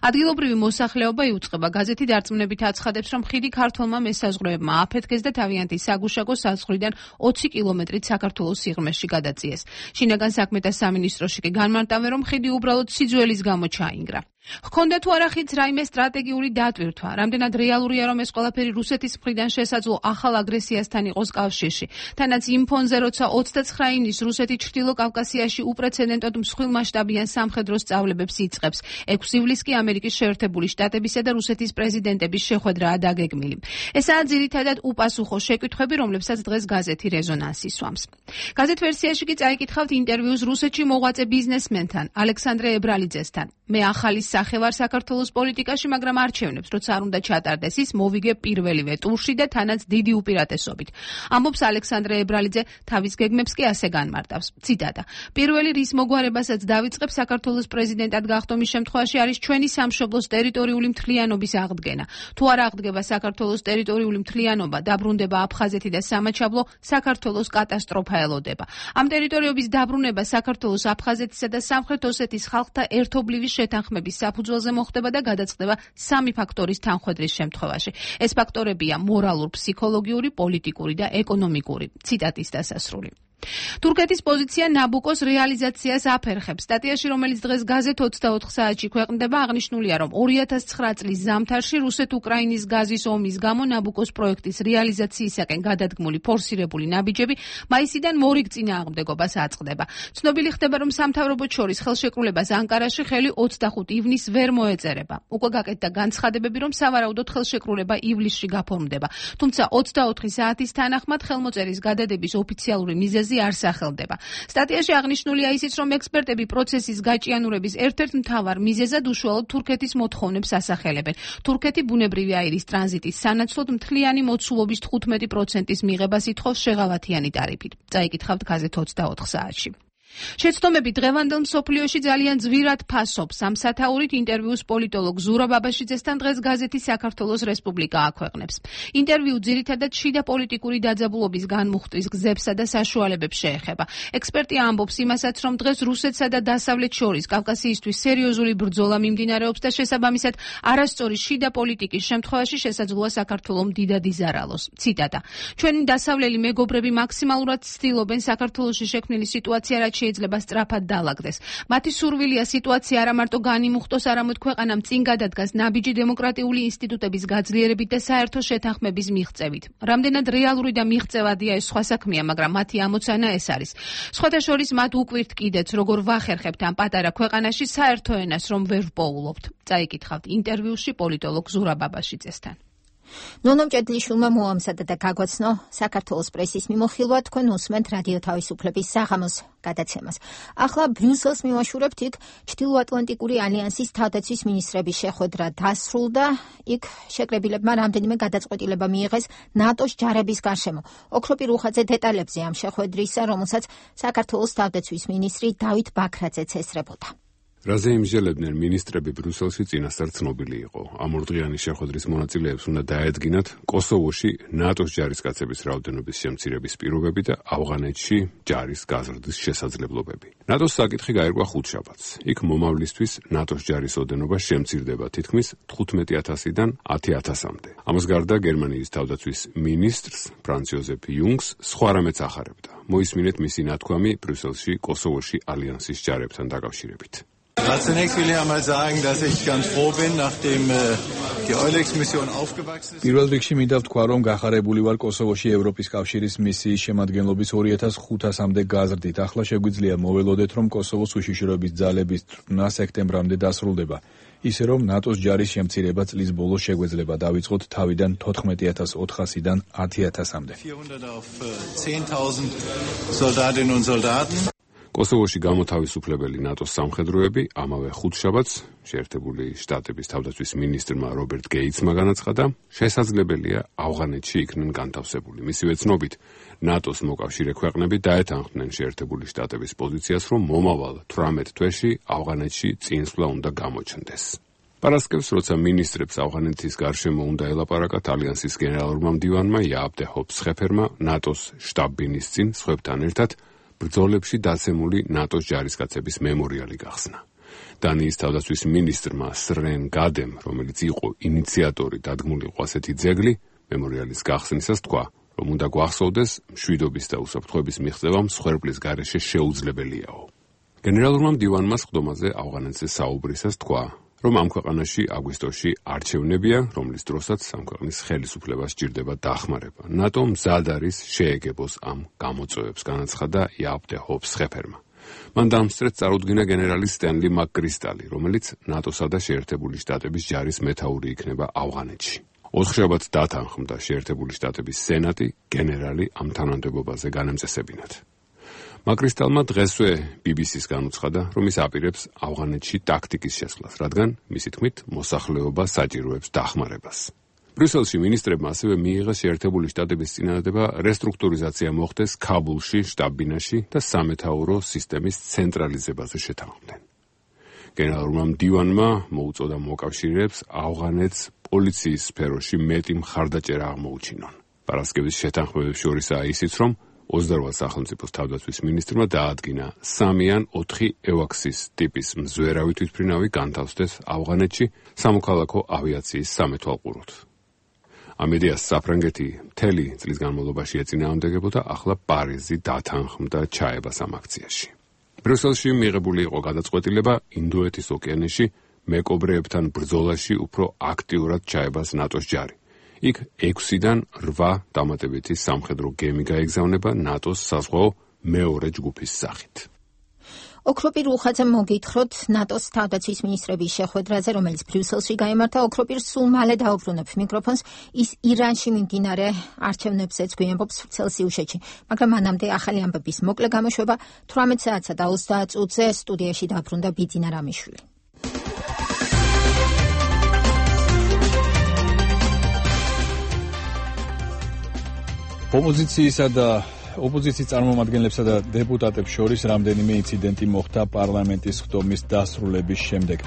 ადგილობრივი მოსახლეობა იუწყება. გაზეთი დარწმუნებით აცხადებს, რომ ხიდი ქართველმა მესაზღვრეებმა აფეთქეს და თავიანთი საგუშაგო საზღვრიდან 20 კილომეტრით საქართველოს სიღრმეში გადაწიეს. შინაგან საქმეთა სამინისტროში კი განმარტავენ, რომ ხიდი უბრალოდ სიძველის გამო ჩაინგრა. ჰქონდა თუ არა ხიდს რაიმე სტრატეგიული დატვირთვა, რამდენად რეალურია, რომ ეს ყველაფერი რუსეთის მხრიდან შესაძლო ახალ აგრესიასთან იყოს კავშირში. თანაც იმ ფონზე, როცა 29 ივნის რუსეთი ჩრდილო კავკასიაში უპრეცედენტოდ მსხვილ მასშტაბიან სამხედრო სწავლებებს იწყებს. 6 ივლისს კი ამერიკის შეერთებული შტატებისა და რუსეთის პრეზიდენტების შეხვედრაა დაგეგმილი. ესაა ძირითადად უპასუხო შეკითხვები, რომლებსაც დღეს გაზეთი რეზონანსი სვამს. გაზეთ ვერსიაში კი წაიკითხავთ ინტერვიუს რუსეთში მოღვაწე ბიზნესმენთან, ალექსანდრე ებრალიძესთან. მე ახალი სახე ვარ საქართველოს პოლიტიკაში, მაგრამ არჩევნებს, როცა არ უნდა ჩატარდეს ის, მოვიგებ პირველივე ტურში და თანაც დიდი უპირატესობით. ამბობს ალექსანდრე ებრალიძე, თავის გეგმებს კი ასე განმარტავს. ციტატა: პირველი რის მოგვარებასაც დავიწყებ საქართველოს პრეზიდენტად გახდომის შემთხვევაში არის ჩვენი სამშობლოს ტერიტორიული მთლიანობის აღდგენა. თუ არ აღდგება საქართველოს ტერიტორიული მთლიანობა, დაბრუნდება აფხაზეთი და სამაჩაბლო, საქართველოს კატასტროფა ელოდება. ამ ტერიტორიების დაბრუნება საქართველოს, აფხაზეთისა და სამხრეთ ოსეთის ხალხთა ერთობლივი შეთანხმების საფუძველზე მოხდება და გადაწყდება სამი ფაქტორის თანხვედრის შემთხვევაში. ეს ფაქტორებია მორალურ, ფსიქოლოგიური, პოლიტიკური და ეკონომიკური. ციტატის დასასრული. თურქეთის პოზიცია ნაბუკოს რეალიზაციას აფერხებს. სტატიაში, რომელიც დღეს გაზეთ 24 საათში ქვეყნდება, აღნიშნულია, რომ 2009 წლის ზამთარში რუსეთ-უკრაინის გაზის ომის გამო ნაბუკოს პროექტის რეალიზაციისაკენ გადადგმული ფორსირებული ნაბიჯები მაისიდან მორიგ წინააღმდეგობას აწყდება. ცნობილი ხდება, რომ სამთავრობოთ შორის ხელშეკრულებას ანკარაში ხელი 25 ივნისს ვერ მოეწერება. უკვე გაკეთდა განცხადებები, რომ სავარაუდოდ ხელშეკრულება ივლისში გაფორმდება. თუმცა 24 საათის თანახმად ხელმოწერის გადადების ოფიციალური მიზეზი არ სახელდება. სტატიაში აღნიშნულია ისიც, რომ ექსპერტები პროცესის გაჭიანურების ერთ-ერთ მთავარ მიზეზად უშუალოდ თურქეთის მოთხოვნებს ასახელებენ. თურქეთი ბუნებრივი აირის ტრანზიტის სანაცვლოდ მთლიანი მოცულობის 15%-ის მიღებას ითხოვს შეღავათიანი ტარიფით. წაიკითხავთ გაზეთ 24 საათში. შეცდომები დღევანდელ მსოფლიოში ძალიან ძვირად ფასობს. ამ სათაურით ინტერვიუს პოლიტოლოგ ზურაბ ბაბაშიძესთან დღეს გაზეთი საქართველოს რესპუბლიკა აქვეყნებს. ინტერვიუ ძირითადად შიდა პოლიტიკური დაძაბულობის განმუხტვის გზებსა და საშუალებებს შეეხება. ექსპერტი ამბობს იმასაც, რომ დღეს რუსეთსა და დასავლეთ შორის კავკასიისთვის სერიოზული ბრძოლა მიმდინარეობს და შესაბამისად არასწორი შიდა პოლიტიკის შემთხვევაში შესაძლოა საქართველომ დიდად იზარალოს. ციტატა: ჩვენი დასავლელი მეგობრები მაქსიმალურად ცდილობენ საქართველოში შექმნილი სიტუაცია რაც შეიძლება სწრაფად დაალაგდეს. მათი სურვილია სიტუაცია არა მარტო განიმუხტოს, არამედ ქვეყანამ წინ გადადგას ნაბიჯი დემოკრატიული ინსტიტუტების გაძლიერებით და საერთო შეთანხმების მიღწევით. რამდენად რეალური და მიღწევადია ეს სხვა საქმეა, მაგრამ მათი ამოცანა ეს არის. სხვათა შორის მათ უკვირთ კიდეც, როგორ ვახერხებთ ამ პატარა ქვეყანაში საერთო ენას, რომ ვერ ვპოულობთ. წაიკითხავთ ინტერვიუში პოლიტოლოგ ზურაბ ბაბაშიძესთან. ნონო მჭედლიშვილმა მოამზადა და გაგვაცნო საქართველოს პრესის მიმოხილვა, თქვენ უსმენთ რადიო თავისუფლების საღამოს გადაცემას. ახლა ბრიუსელს მივაშურებთ, იქ ჩრდილოატლანტიკური ალიანსის თავდაცვის მინისტრების შეხვედრა დასრულდა. იქ შეკრებილებმა რამდენიმე გადაწყვეტილება მიიღეს ნატოს ჯარების გარშემო. ოქროპი რუხაძე დეტალებზე ამ შეხვედრისა, რომელსაც საქართველოს თავდაცვის მინისტრი დავით ბაქრაძეც ესწრებოდა. რაზე იმსჯელებდნენ მინისტრები ბრიუსელში წინასწარ ცნობილი იყო. ამ ორდღიანი შეხვედრის მონაწილეებს უნდა დაედგინათ კოსოვოში ნატოს ჯარისკაცების რაოდენობის შემცირების პირობები და ავღანეთში ჯარის გაზრდის შესაძლებლობები. ნატოს საკითხი გაერკვა ხუთშაბათს. იქ მომავლისთვის ნატოს ჯარის ოდენობა შემცირდება თითქმის 15,000-დან 10,000-მდე. ამას გარდა გერმანიის თავდაცვის მინისტრს ფრანც იოზეფ იუნგს სხვა რამეც ახარებდა. მოისმინეთ მისი ნათქვამი ბრიუსელში კოსოვოში ალიანსის ჯარებთან დაკავშირებით. Zunächst will ich einmal sagen, dass ich ganz froh bin, nachdem die EULEX-Mission aufgewachsen ist. პირველ რიგში მინდა ვთქვა, რომ გახარებული ვარ კოსოვოში ევროპის კავშირის მისიის შემადგენლობის 2500-მდე გაზრდით. ახლა შეგვიძლია მოველოდეთ, რომ კოსოვოს უშიშროების ძალების წვრთნა სექტემბრამდე დასრულდება. ისე რომ ნატოს ჯარის შემცირება წლის ბოლოს შეგვეძლება დავიწყოთ თავიდან 14,400-დან 10,000-მდე. 400 auf 10.000 Soldatinnen und Soldaten. კოსოვოში გამოთავისუფლებელი ნატოს სამხედროები ამავე ხუთშაბათს შეერთებული შტატების თავდაცვის მინისტრმა რობერტ გეიცმა განაცხადა, შესაძლებელია ავღანეთში იქნენ განთავსებული. მისივე ცნობით, ნატოს მოკავშირე ქვეყნები დაეთანხმდნენ შეერთებული შტატების პოზიციას, რომ მომავალ 18 თვეში ავღანეთში წინსვლა უნდა გამოჩნდეს. პარასკევს, როცა მინისტრებს ავღანეთის გარშემო უნდა ელაპარაკათ, ალიანსის გენერალურმა მდივანმა იააბ დე ჰოფსხეფერმა ნატოს შტაბ-ბინის წინ სხვებთან ერთად ბრძოლებში დაცემული ნატოს ჯარისკაცების მემორიალი გახსნა. დანიის თავდაცვის მინისტრმა სრენ გადემ, რომელიც იყო ინიციატორი დადგმულიყო ასეთი ძეგლი, მემორიალის გახსნისას თქვა, რომ უნდა გვახსოვდეს მშვიდობის და უსაფრთხოების მიღწევა მსხვერპლის გარეშე შეუძლებელიაო. გენერალურმა მდივანმა სხდომაზე ავღანეთზე საუბრისას თქვა, რომ ამ ქვეყანაში აგვისტოში არჩევნებია, რომლის დროსაც ამ ქვეყნის ხელისუფლებას სჭირდება დახმარება. ნატო მზად არის შეეგებოს ამ გამოწვევებს, განაცხადა იააბ დე ჰოფსხეფერმა. მან დამსწრეთ წარუდგინა გენერალი სტენლი მაკკრისტალი, რომელიც ნატოსა და შეერთებული შტატების ჯარის მეთაური იქნება ავღანეთში. 4 შაბათს დათანხმდა შეერთებული შტატების სენატი გენერალი ამ თანამდებობაზე განემწესებინათ. მაკრისტალმა დღესვე BBC-ს განუცხადა, რომ ის აპირებს ავღანეთში ტაქტიკის შესვლას, რადგან მისი თქმით მოსახლეობა საჭიროებს დახმარებას. ბრიუსელში მინისტრებმა ასევე მიიღეს შეერთებული შტატების წინადადება რესტრუქტურიზაცია მოხდეს ქაბულში, შტაბ-ბინაში და სამეთაურო სისტემის ცენტრალიზებაზე შეთანხმდნენ. გენერალურმა მდივანმა მოუწოდა მოკავშირეებს ავღანეთს პოლიციის სფეროში მეტი მხარდაჭერა აღმოუჩინონ. პარასკევის შეთანხმებებს შორისაა ისიც, რომ 28 სახელმწიფოს თავდაცვის მინისტრმა დაადგინა 3 ან 4 ევაქსის ტიპის მზვერავი თვითმფრინავი განთავსდეს ავღანეთში სამოქალაქო ავიაციის სამეთვალყუროდ. ამ იდეას საფრანგეთი მთელი წლის განმავლობაში ეწინააღმდეგებოდა, ახლა პარიზი დათანხმდა ჩაებას ამ აქციაში. ბრიუსელში მიღებული იყო გადაწყვეტილება ინდოეთის ოკეანეში მეკობრეებთან ბრძოლაში უფრო აქტიურად ჩაებას ნატოს ჯარი. იქ 6-დან 8 დამატებითი სამხედრო გემი გაეგზავნება ნატოს საზღვაო მეორე ჯგუფის სახით. ოქროპირ უხაძემ მოგითხროთ ნატოს თავდაცვის მინისტრების შეხვედრაზე, რომელიც ბრიუსელში გაიმართა. ოქროპირ სულ მალე დაუბრუნებ მიკროფონს. ის ირანში მიმდინარე არჩევნებზეც გვიამბობს ვრცელ სიუჟეტში, მაგრამ მანამდე ახალი ამბების მოკლე გამოშვება 18 საათსა და 30 წუთზე სტუდიაში დაბრუნდა ბიძინა რამიშვილი. ოპოზიციისა და ოპოზიციის წარმომადგენლებსა და დეპუტატებს შორის რამდენიმე ინციდენტი მოხდა პარლამენტის ხდომის დასრულების შემდეგ.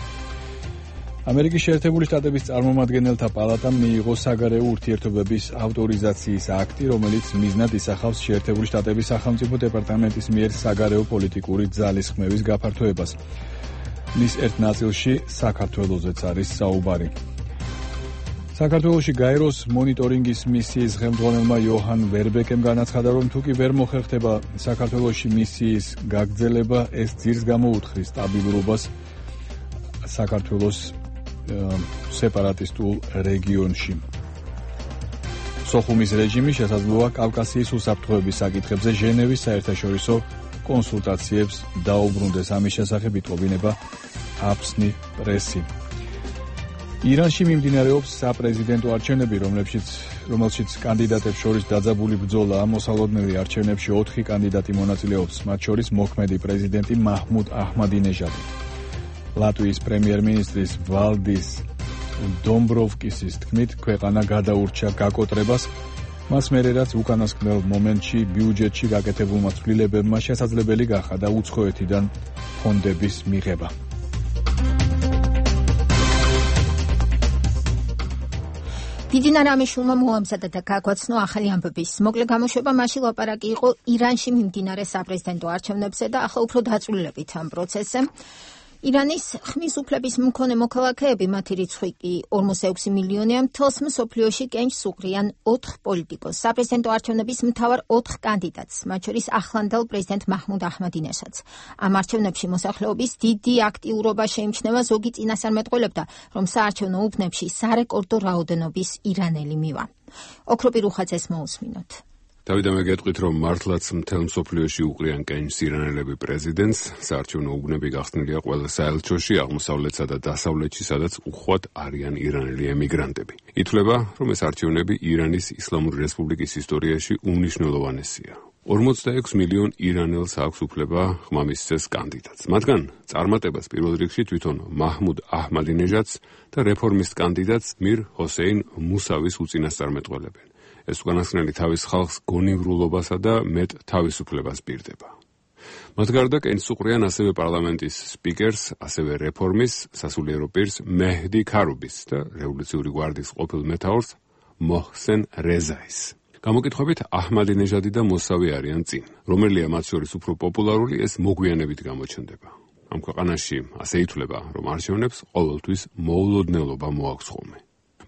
ამერიკის შეერთებული შტატების წარმომადგენელთა პალატამ მიიღო საგარეო ურთიერთობების ავტორიზაციის აქტი, რომელიც მიზნად ისახავს შეერთებული შტატების სახელმწიფო დეპარტამენტის მიერ საგარეო პოლიტიკური ძალისხმევის გაფართოებას. მის ერთ ნაწილში საქართველოსაც არის საუბარი. საქართველოში გაეროს მონიტორინგის მისიის ხელმძღვანელმა იოჰან ვერბეკემ განაცხადა, რომ თუ კი ვერ მოხერხდება საქართველოში მისიის გაგრძელება, ეს ძირს გამოუთხრის სტაბილურობას საქართველოს სეპარატისტულ რეგიონში. სოხუმის რეჟიმი შესაძლოა კავკასიის უსაფრთხოების საკითხებზე ჟენევის საერთაშორისო კონსულტაციებს დაუბრუნდეს. ამის შესახებ იტყობინება აფსნი პრესი. ირანში მიმდინარეობს საპრეზიდენტო არჩევნები, რომელშიც კანდიდატებს შორის დაძაბული ბრძოლაა. მოსალოდნელი არჩევნებში 4 კანდიდატი მონაწილეობს, მათ შორის მოქმედი პრეზიდენტი მაჰმუდ აჰმადინეჟადი. ლატვიის პრემიერ-მინისტრის ვალდის დომბროვსკისის თქმით, ქვეყანა გადაურჩა გაკოტრებას, მას მერე რაც უკანასკნელ მომენტში ბიუჯეტში გაკეთებულმა ცვლილებებმა შესაძლებელი გახადა უცხოეთიდან ფონდების მიღება. ბიძინა რამიშვილმა მოამზადა და გაგვაცნო ახალი ამბების მოკლე გამოშვება. მაშინ ლაპარაკი იყო ირანში მიმდინარე საპრეზიდენტო არჩევნებზე და ახლა უფრო დაწვრილებით ამ პროცესზე. ირანის ხმის უფლების მქონე მოქალაქეები, მათი რიცხვი კი 46 მილიონია, მთელს მსოფლიოში კენჭს უყრიან 4 პოლიტიკოს, საპრეზიდენტო არჩევნების მთავარ 4 კანდიდატს, მათ შორის ახლანდელ პრეზიდენტ მაჰმუდ აჰმადინეჟადს. ამ არჩევნებში მოსახლეობის დიდი აქტიურობა შეიმჩნევა. ზოგი წინასწარმეტყველებდა, რომ საარჩევნო უბნებში სარეკორდო რაოდენობის ირანელი მივა. ოქროპირ უხაძეს მოусმინოთ. დავით, მე გეტყვით, რომ მართლაც მთელ მსოფლიოში უყრიან კენჭს ირანელები პრეზიდენტს. საარჩევნო უბნები გახსნილია ყველა საელჩოში, აღმოსავლეთსა და დასავლეთში, სადაც უხვად არიან ირანელი ემიგრანტები. ითვლება, რომ ეს არჩევნები ირანის ისლამური რესპუბლიკის ისტორიაში უმნიშვნელოვანესია. 46 მილიონ ირანელს აქვს უფლება ხმა მისცეს კანდიდატს. მათგან წარმატებას პირველ რიგში თვითონ მაჰმუდ აჰმადინეჟადს და რეფორმისტ კანდიდატს მირ ჰოსეინ მუსავის უწინასწარმეტყველებენ. ეს უკანასკნელი თავის ხალხს გონივრულობასა და მეტ თავისუფლებას პირდება. მათ გარდა კენჭს უყრიან ასევე პარლამენტის სპიკერს, ასევე რეფორმის სასულიერო პირს მეჰდი ქარუბის და რევოლუციური გვარდიის ყოფილ მეთაურს მოჰსენ რეზაის. გამოკითხვებით აჰმადინეჟადი და მოსავი არიან წინ. რომელია მათ შორის უფრო პოპულარული, ეს მოგვიანებით გამოჩნდება. ამ ქვეყანაში ასე ითვლება, რომ არჩევნებს ყოველთვის მოულოდნელობა მოაქვს ხოლმე.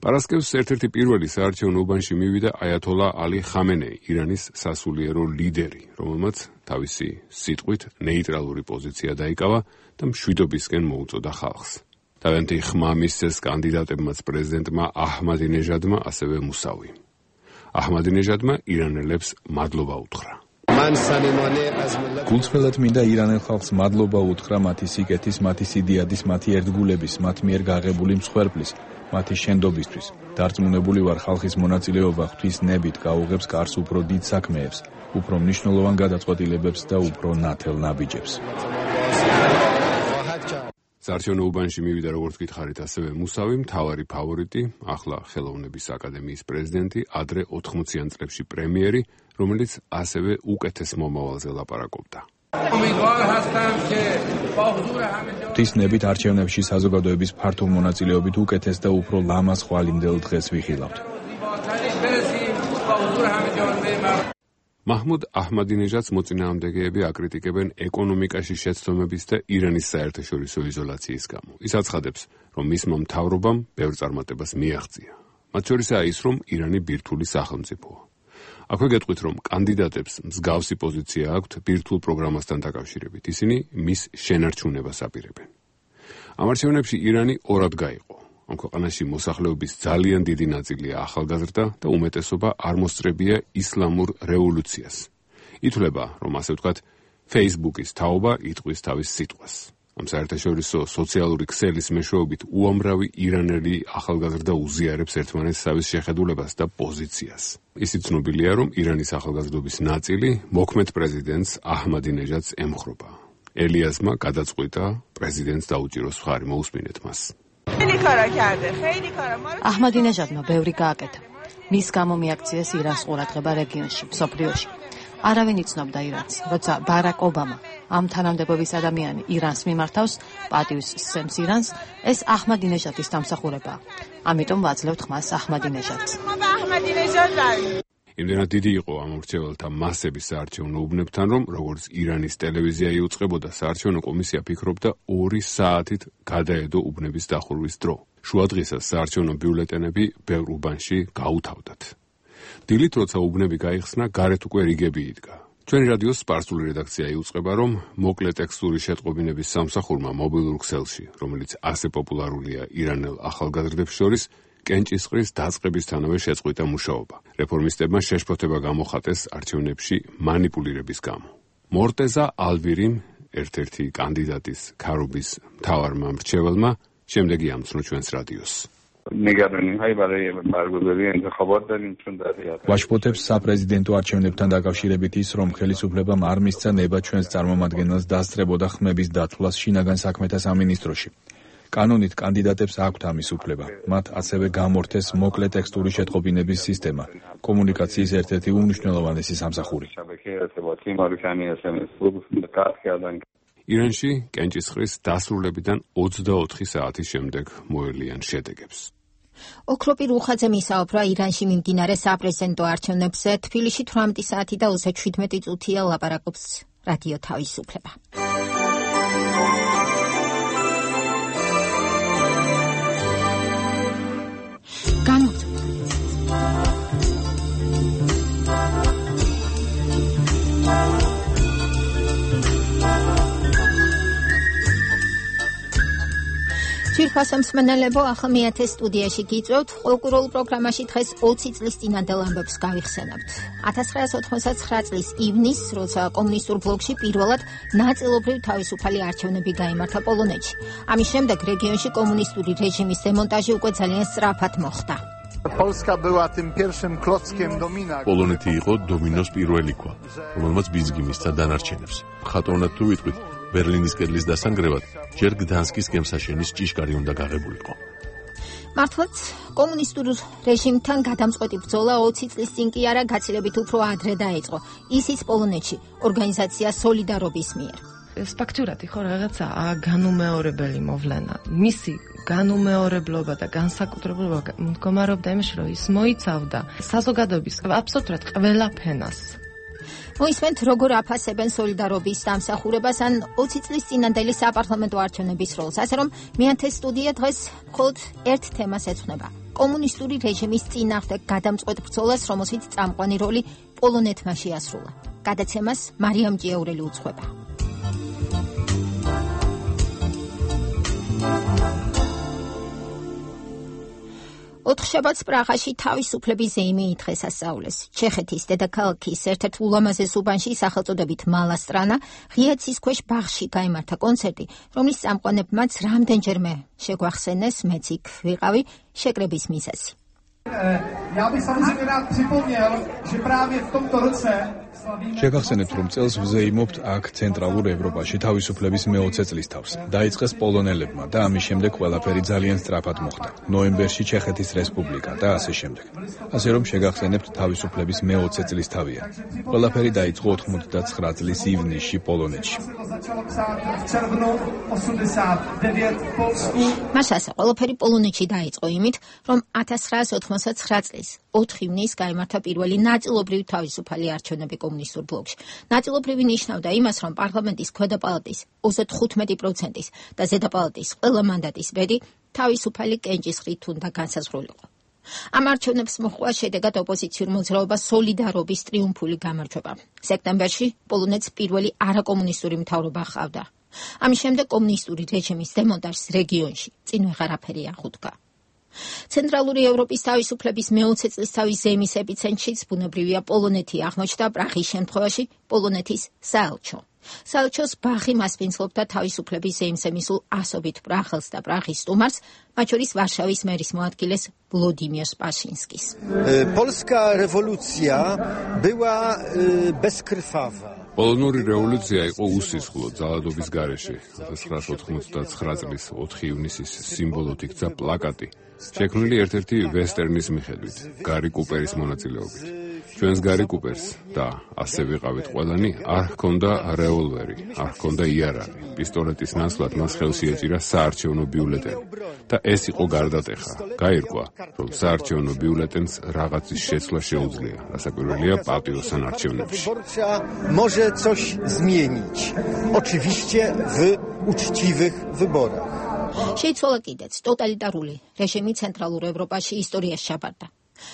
პარასკევს ერთ-ერთი პირველი საარჩევნო უბანში მივიდა აიათოლა ალი ხამენეი, ირანის სასულიერო ლიდერი, რომელმაც თავისი სიტყვით ნეიტრალური პოზიცია დაიკავა და მშვიდობისკენ მოუწოდა ხალხს. თავიანთი ხმა მისცეს კანდიდატებმაც პრეზიდენტმა აჰმადინეჟადმა, ასევე მუსავი. აჰმადინეჟადმა ირანელებს მადლობა უთხრა. გულწრფელად მინდა ირანელ ხალხს მადლობა უთხრა მათი სიკეთის, მათი სიდიადის, მათი ერთგულების, მათ მიერ გაღებული მსხვერპლის, მათი შენდობისთვის. დარწმუნებული ვარ, ხალხის მონაწილეობა ღვთისნებით გაუღებს კარს უფრო დიდ საქმეებს, უფრო მნიშვნელოვან გადაწყვეტილებებს და უფრო ნათელ ნაბიჯებს. საარჩევნო უბანში მივიდა, როგორც გითხარით, ასევე მუსავი, მთავარი ფავორიტი, ახლა ხელოვნების აკადემიის პრეზიდენტი, ადრე 80-იან წლებში პრემიერი, რომელიც ასევე უკეთეს მომავალზე ლაპარაკობდა. ღვთისნებით არჩევნებში საზოგადოების ფართო მონაწილეობით უკეთეს და უფრო ლამაზ ხვალინდელ დღეს ვიხილავთ. მაჰმუდ აჰმადინეჟადს მოწინააღმდეგეები აკრიტიკებენ ეკონომიკაში შეცდომების და ირანის საერთაშორისო იზოლაციის გამო. ის აცხადებს, რომ მისმა მთავრობამ ბევრ წარმატებას მიაღწია. მათ შორისაა ის, რომ ირანი ბირთვული სახელმწიფოა. აქვე გეტყვით, რომ კანდიდატებს მსგავსი პოზიცია აქვთ ბირთვულ პროგრამასთან დაკავშირებით. ისინი მის შენარჩუნებას აპირებენ. ამ არჩევნებში ირანი ორად გაიყო. ამ ქვეყანაში მოსახლეობის ძალიან დიდი ნაწილია ახალგაზრდა და უმეტესობა არ მოსწრებია ისლამურ რევოლუციას. ითვლება, რომ ასე ვთქვათ, Facebook-ის თაობა იტყვის თავის სიტყვას. ამ საერთაშორისო სოციალური ქსელის მეშვეობით უამრავი ირანელი ახალგაზრდა უზიარებს ერთმანეთს თავის შეხედულებას და პოზიციას. ისიც ცნობილია, რომ ირანის ახალგაზრდობის ნაწილი მოქმედ პრეზიდენტს აჰმადინეჟადს ემხრობა. ელიასმა გადაწყვიტა პრეზიდენტს დაუჭიროს მხარი, მოусმინეთ მას. აჰმადინეჟადმა ბევრი გააკეთა. მის გამო მიაქციეს ირანს ყურადღება რეგიონში, მსოფლიოში. არავინ იცნობდა ირანს, როცა ბარაკ ობამა, ამ თანამდებობის ადამიანი ირანს მიმართავს, პატივს სცემს ირანს, ეს აჰმადინეჟადის დამსახურებაა. ამიტომ ვაძლევთ ხმას აჰმადინეჟადს. იმდენად დიდი იყო ამ მრჩეველთა მასები საარჩევნო უბნებთან, რომ როგორც ირანის ტელევიზია იუწყებოდა, საარჩევნო კომისია ფიქრობდა 2 საათით გადაედო უბნების დახურვის დრო. შუადღისას საარჩევნო ბიულეტენები ბევრ უბანში გაუთავდათ. დილით, როცა უბნები გაიხსნა, გარეთ უკვე რიგები იდგა. ჩვენი რადიოს სპარსული რედაქცია იუწყება, რომ მოკლე ტექსტური შეტყობინების სამსახურმა მობილურ ქსელში, რომელიც ასე პოპულარულია ირანელ ახალგაზრდებს შორის, კენჭისყრის დაწყებისთანავე შეწყვიტა მუშაობა. რეფორმისტებმა შეშფოთება გამოხატეს არჩევნებში მანიპულირების გამო. მორტეზა ალვირიმ, ერთ-ერთი კანდიდატის ქარუბის მთავარმა მრჩეველმა, შემდეგი ამცნო ჩვენს რადიოს. ვაშფოთებს საპრეზიდენტო არჩევნებთან დაკავშირებით ის, რომ ხელისუფლებამ არ მისცა ნება ჩვენს წარმომადგენელს დასწრებოდა ხმების დათვლას შინაგან საქმეთა სამინისტროში. კანონით კანდიდატებს აქვთ ამის უფლება. მათ ასევე გამორთეს მოკლე ტექსტური შეტყობინების სისტემა, კომუნიკაციის ერთ-ერთი უმნიშვნელოვანესი სამსახური. ირანში კენჭისყრის დასრულებიდან 24 საათის შემდეგ მოელიან შედეგებს. ოქროპირ უხაძემ ისაუბრა ირანში მიმდინარე საპრეზიდენტო არჩევნებზე. თბილისში 18 საათი და 37 წუთია ლაპარაკობს რადიო თავისუფლება. ძვირფასო მსმენელებო, ახლა მეათე სტუდიაში გიწევთ. ყოლკურულ პროგრამაში დღეს 20 წლის წინანდელ ამბებს გავიხსენებთ. 1989 წლის ივნისს, როცა კომუნისტურ ბლოკში პირველად ნაწილობრივ თავისუფალი არჩევნები გაიმართა პოლონეთში. ამის შემდეგ რეგიონში კომუნისტური რეჟიმის დემონტაჟი უკვე ძალიან სწრაფად მოხდა. პოლონეთი იყო დომინოს პირველი ქვა, რომელმაც ბიზგი მისცა დანარჩენებს. ხატოვნად თუ ვიტყვით, ბერლინის კედლის დასანგრევად ჯერ გდანსკის გემსაშენის ჭიშკარი უნდა გაღებულიყო. მართლაც კომუნისტურ რეჟიმთან გადამწყვეტი ბრძოლა 20 წლის წინ კი არა გაცილებით უფრო ადრე დაიწყო, ისიც პოლონეთში ორგანიზაცია სოლიდარობის მიერ. ეს ფაქტურათი ხო რაღაცა განუმეორებელი მოვლენა. მისი განუმეორებლობა და განსაკუთრებულობა მდგომარეობდა იმაში, რომ ის მოიცავდა საზოგადოების აბსოლუტურად ყველა ფენას. მოისმენთ, როგორ აფასებენ სოლიდარობის დამსახურებას ან 20 წლის წინანდელი საპარლამენტო არჩევნების როლს, ასე რომ მეათე სტუდია დღეს მხოლოდ ერთ თემას ეძღვნება: კომუნისტური რეჟიმის წინააღმდეგ გადამწყვეტ ბრძოლას, რომელშიც წამყვანი როლი პოლონეთმა შეასრულა. გადაცემას მარიამ ჭიაურელი უძღვება. ოთხშაბათს პრაღაში თავისუფლების ზეიმი ითხრეს ასწავლეს. ჩეხეთის დედაქალაქის ერთ-ერთ ულამაზეს უბანში სახელწოდებით მალასტრანა ღია ცის ქვეშ ბაღში გაიმართა კონცერტი, რომლის წამყვანებმაც რამდენჯერმე შეგვახსენეს, მეც იქ ვიყავი, შეკრების მიზეზი. Ja bych samozřejmě rád připomněl, že právě v tomto roce შეგახსენებთ, რომ წელს ვზეიმობთ აქ ცენტრალურ ევროპაში თავისუფლების მე-20 წლის თავს. დაიწყეს პოლონელებმა და ამის შემდეგ ყველაფერი ძალიან სწრაფად მოხდა. ნოემბერში ჩეხეთის რესპუბლიკა და ასე შემდეგ. ასე რომ შეგახსენებთ თავისუფლების მე-20 წლის თავია. ყველაფერი დაიწყო 89 წლის ივნისში პოლონეთში. მასასა ყველაფერი პოლონეთში დაიწყო იმით, რომ 1989 წლის 4 ივნისს გაიმართა პირველი ნაწილობრივ თავისუფალი არჩევნები კომუნისტურ ბლოკში. ნაწილობრივი ნიშნავდა იმას, რომ პარლამენტის ქვედა პალატის 35%-ის და ზედა პალატის ყველა მანდატის ბედი თავისუფალი კენჭისყრით უნდა განსაზღვრულიყო. ამ არჩევნებს მოჰყვა შედეგად ოპოზიციურ მოძრაობას სოლიდარობის ტრიუმფული გამარჯვება. სექტემბერში პოლონეთს პირველი არაკომუნისტური მთავრობა ჰყავდა. ამის შემდეგ კომუნისტური რეჟიმის დემონტაჟს რეგიონში წინ ვეღარაფერი აღუდგა. ცენტრალური ევროპის თავისუფლების მე-20 წლისთავის ზეიმის ეპიცენტრშიც ბუნებრივია პოლონეთი აღმოჩნდა, პრაღის შემთხვევაში პოლონეთის საელჩო. საელჩოს ბაღი მასპინძლობდა თავისუფლების ზეიმზე მისულ ასობით პრაღელს და პრაღის სტუმარს, მათ შორის ვარშავის მერის მოადგილეს ვლოდიმირ სპაშინსკის. Polska rewolucja była bezkrwawa. პოლონური რევოლუცია იყო უსისხლო ძალადობის გარეშე. 1989 წლის 4 ივნისის სიმბოლოდ იქცა პლაკატი, შექმნილი ერთ-ერთი ვესტერნის მიხედვით, გარი კუპერის მონაწილეობით. ჩვენს გარი კუპერს და ასე ვიყავით ყველანი, არ ჰქონდა რევოლვერი, არ ჰქონდა იარაღი. პისტოლეტის ნაცვლად მას ხელში ეჭირა საარჩევნო ბიულეტენი და ეს იყო გარდატეხა. გაირკვა, რომ საარჩევნო ბიულეტენს რაღაცის შეცვლა შეუძლია, რასაკვირველია პატიოსან არჩევნებში. Może coś zmienić. Oczywiście w uczciwych wyborach. შეიცვალა კიდეც ტოტალიტარული რეჟიმი ცენტრალურ ევროპაში ისტორიას ჩაბარდა.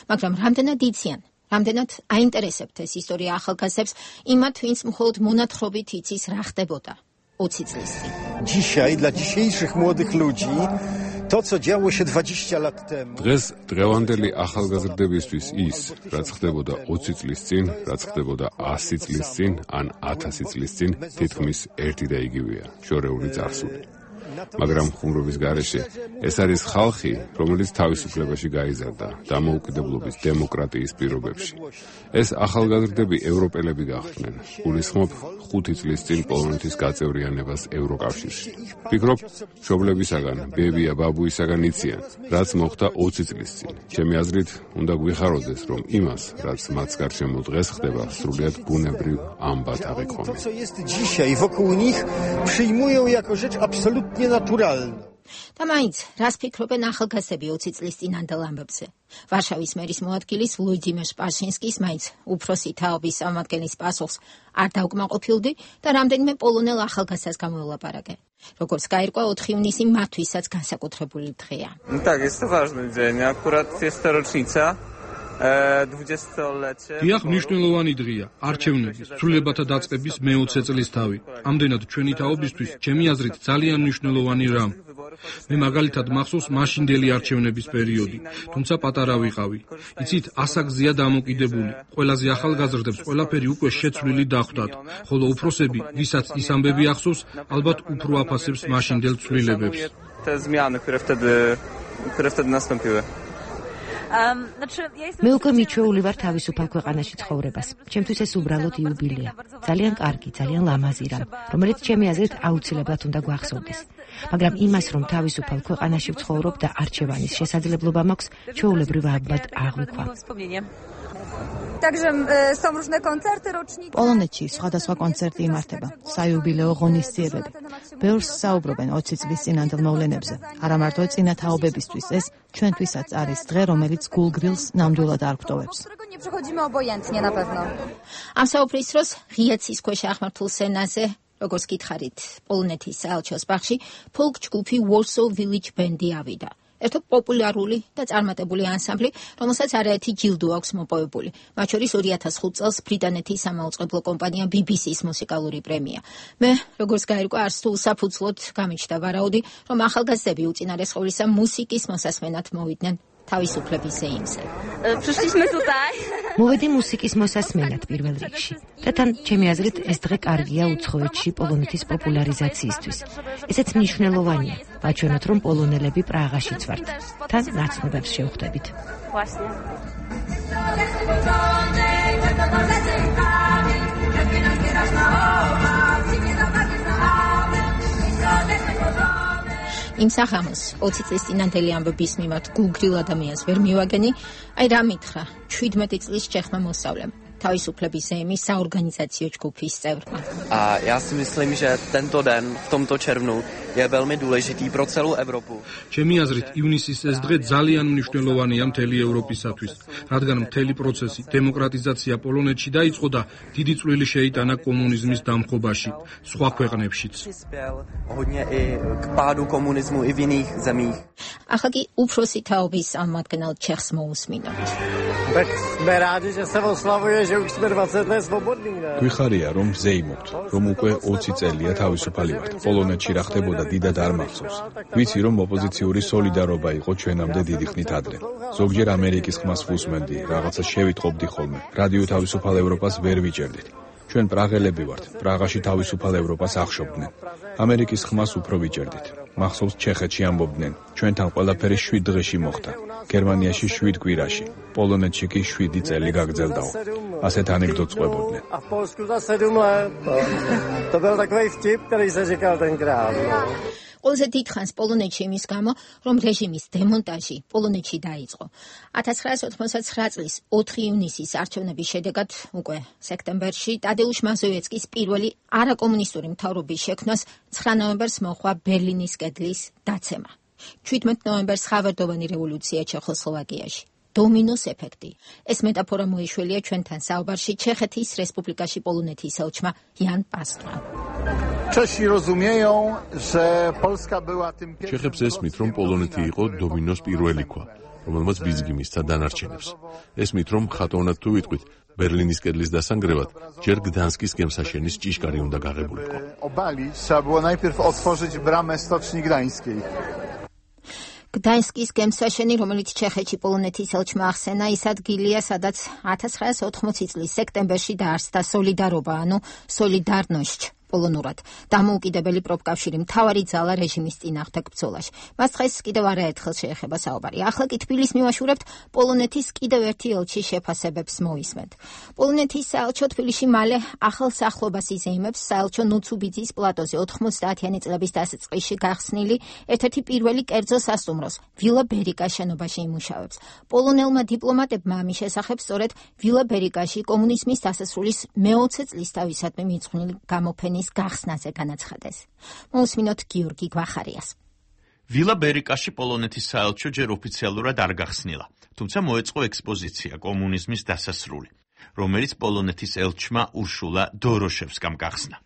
მაგრამ რამდენად იციან, რამდენად აინტერესებთ ეს ისტორია ახალგაზრდებს, იმათ, ვინც მხოლოდ მონათხრობით იცის რა ხდებოდა 20 წლის წინ. Dzisiaj dla dzisiejszych młodych ludzi to, co działo się 20 lat temu. დღეს დღევანდელი ახალგაზრდებისთვის ის, რაც ხდებოდა 20 წლის წინ, რაც ხდებოდა 100 წლის წინ, ან 1000 წლის წინ, თითქმის ერთი და იგივეა, შორეული წარსული. მაგრამ ხუმრობის გარეშე ეს არის ხალხი, რომელიც თავისუფლებაში გაიზარდა დამოუკიდებლობის დემოკრატიის პირობებში. ეს ახალგაზრდები ევროპელები გახდნენ. გულისხმობ 5 წლის წინ პოლონეთის გაწევრიანებას ევროკავშირში. ვფიქრობ, მშობლებისაგან, ბებია, ბაბუისაგან იციან, რაც მოხდა 20 წლის წინ. ჩემი აზრით, უნდა გვიხაროდეს, რომ იმას, რაც მათ გარშემო დღეს ხდება, სრულიად ბუნებრივ ამბად აღიქვამენ. To, co jest dzisiaj wokół nich, przyjmują jako rzecz absolutnie naturalną. და მაინც, რას ფიქრობენ ახალგაზრდები 20 წლის წინანდელ ამბებზე? ვარშავის მერის მოადგილის ვლოდიმირ სპაშინსკის მაინც უფროსი თაობის წარმომადგენლის პასუხს არ დაუკმაყოფილდი და რამდენიმე პოლონელ ახალგაზრდას გამოელაპარაკე. როგორც გაირკვა, 4 ივნისი მათთვისაც განსაკუთრებული დღეა. Tak, jest to ważny dzień. Akurat jest to rocznica. 20-lecie. დიახ, მნიშვნელოვანი დღეა, არჩევნების, ცვლილებათა დაწყების მე-20 წლის თავი. ამდენად ჩვენი თაობისთვის, ჩემი აზრით, ძალიან მნიშვნელოვანი რამ. მე მაგალითად მახსოვს მაშინდელი არჩევნების პერიოდი, თუმცა პატარა ვიყავი. იცით, ასაკზეა დამოკიდებული. ყველაზე ახალგაზრდებს ყველაფერი უკვე შეცვლილი დახვდათ, ხოლო უფროსები, ვისაც ის ამბები ახსოვს, ალბათ უფრო აფასებს მაშინდელ ცვლილებებს. Te zmiany, które wtedy nastąpiły. მე უკვე მიჩვეული ვარ თავისუფალ ქვეყანაში ცხოვრებას. ჩემთვის ეს უბრალოდ იუბილეა. ძალიან კარგი, ძალიან ლამაზი რამ, რომელიც ჩემი აზრით აუცილებლად უნდა გვახსოვდეს. მაგრამ იმას, რომ თავისუფალ ქვეყანაში ვცხოვრობ და არჩევანის შესაძლებლობა მაქვს, ჩვეულებრივ ალბათ აღვიქვა. პოლონეთში სხვადასხვა კონცერტი იმართება, საიუბილეო ღონისძიებები. ბევრს საუბრობენ 20 წლის წინანდელ მოვლენებზე. არა მარტო წინა თაობებისთვის, ეს ჩვენთვისაც არის დღე, რომელიც გულგრილს ნამდვილად არ გვტოვებს. ამ საუბრის დროს ღია ცის ქვეშ აღმართულ სცენაზე, როგორც გითხარით, პოლონეთის საელჩოს ბაღში ფოლკ ჯგუფი Warsaw Village Band-ი ავიდა. ერთო პოპულარული და წარმატებული ანსამბლი, რომელსაც არაერთი ჯილდო აქვს მოპოვებული. მათ შორის 2005 წელს ბრიტანეთის სამაუწყებლო კომპანია BBC-ს მუსიკალური პრემია. მე, როგორც გაირკვა, არც თუ უსაფუძვლოდ გამიჩნდა ვარაუდი, რომ ახალგაზრდები უწინარესყოვლისა მუსიკის მოსასმენად მოვიდნენ თავისუფლების ზეიმზე. მოვედი მუსიკის მოსასმენად პირველ რიგში. და თან, ჩემი აზრით, ეს დღე კარგია უცხოეთში პოლონეთის პოპულარიზაციისთვის. ესეც მნიშვნელოვანია, ვაჩვენოთ, რომ პოლონელები პრაღაშიც ვართ. თან ნაცნობებს შევხვდებით. იმ საღამოს 20 წლის წინანდელი ამბების მიმართ გულგრილ ადამიანს ვერ მივაგენი, აი რა მითხრა 17 წლის ჩეხმა მოსწავლემ, თავისუფლების ზეიმის საორგანიზაციო ჯგუფის წევრმა. Já si myslím, že tento den v tomto červnu je velmi důležitý pro celou Evropu. ჩემი აზრით, ივნისის ეს დღე ძალიან მნიშვნელოვანია მთელი ევროპისათვის, რადგან მთელი პროცესი დემოკრატიზაცია პოლონეთში დაიწყო და დიდი წვლილი შეიტანა კომუნიზმის დამხობაში, სხვა ქვეყნებშიც. Hodně i k pádu komunismu i v jiných zemích. ახლა კი უფროსი თაობის წარმომადგენელ ჩეხს მოусმინოთ. Sme rádi, že se oslavuje, že už jsme 20 let svobodní. გვიხარია, რომ ზეიმობთ, რომ უკვე 20 წელია თავისუფალი ვართ. პოლონეთში რა ხდებოდა დიდად არ მახსოვს. ვიცი, რომ ოპოზიციური სოლიდარობა იყო ჩვენამდე დიდი ხნით ადრე. ზოგჯერ ამერიკის ხმას ვუსმენდი, რაღაცა შევიტყობდი ხოლმე. რადიო თავისუფალ ევროპას ვერ ვიჭერდით. ჩვენ პრაღელები ვართ, პრაღაში თავისუფალ ევროპას ახშობდნენ. ამერიკის ხმას უფრო ვიჭერდით. მახსოვს ჩეხეთში ამბობდნენ, ჩვენთან ყველაფერი 7 დღეში მოხდა. გერმანიაში 7 კვირაში, პოლონეთში კი 7 წელი გაგრძელდაო. ასეთ ანეკდოტს ყვებოდნენ. A v Polsku za 7 let. To byl takový vtip, který se říkal tenkrát. ყველაზე დიდ ხანს პოლონეთში იმის გამო, რომ რეჟიმის დემონტაჟი პოლონეთში დაიწყო. 1989 წლის 4 ივნისის არჩევნების შედეგად უკვე სექტემბერში ტადეუშ მაზოვეცკის პირველი არაკომუნისტური მთავრობის შექმნას 9 ნოემბერს მოჰყვა ბერლინის კედლის დაცემა. 17 ნოემბერს ხავერდოვანი რევოლუცია ჩეხოსლოვაკიაში. დომინოს ეფექტი. ეს მეტაფორა მოიშველია ჩვენთან საუბარში ჩეხეთის რესპუბლიკაში პოლონეთის ელჩმა იან პასტვამ. Czesi rozumieją, że Polska była tym ჩეხებს ესმით, რომ პოლონეთი იყო დომინოს პირველი ქვა, რომელმაც ბიძგი მისცა დანარჩენებს. ესმით, რომ ხატოვნად თუ ვიტყვით, ბერლინის კედლის დასანგრევად ჯერ გდანსკის გემსაშენის ჭიშკარი უნდა გაღებულიყო. obalić, trzeba było najpierw otworzyć bramę Stoczni Gdańskiej. გდანსკის გემსაშენი, რომელიც ჩეხეთში პოლონეთის ელჩმა ახსენა, ის ადგილია, სადაც 1980 წლის სექტემბერში დაარსდა სოლიდარობა, ანუ სოლიდარნოშჩ. პოლონურად დამოუკიდებელი პროფკავშირი მთავარი ძალა რეჟიმის წინააღმდეგ ბრძოლაში. მას დღეს კიდევ არაერთხელ შეეხება საუბარი. ახლა კი თბილისს მივაშურებთ პოლონეთის კიდევ ერთი ელჩის შეფასებებს მოვისმენთ. პოლონეთის საელჩო თბილისში მალე ახალ სახლობას იზეიმებს საელჩო ნუცუბიძის პლატოზე 90-იანი წლების დასაწყისში გახსნილი ერთ-ერთი პირველი კერძო სასტუმროს ვილა ბერიკა შენობაში იმუშავებს. პოლონელმა დიპლომატებმა ამის შესახებ სწორედ ვილა ბერიკაში კომუნიზმის დასასრულის მე-20 წლისთავისადმი მიძღვნილი გამოფენის გახსნაზე განაცხადეს. მოусმინოთ გიორგი გვახარიას. ვილა ბერიკაში პოლონეთის საელჩო ჯერ ოფიციალურად არ გახსნილა, თუმცა მოეწყო ექსპოზიცია კომუნიზმის დასასრული, რომელიც პოლონეთის ელჩმა ურშულა დოროშევსკამ გახსნა.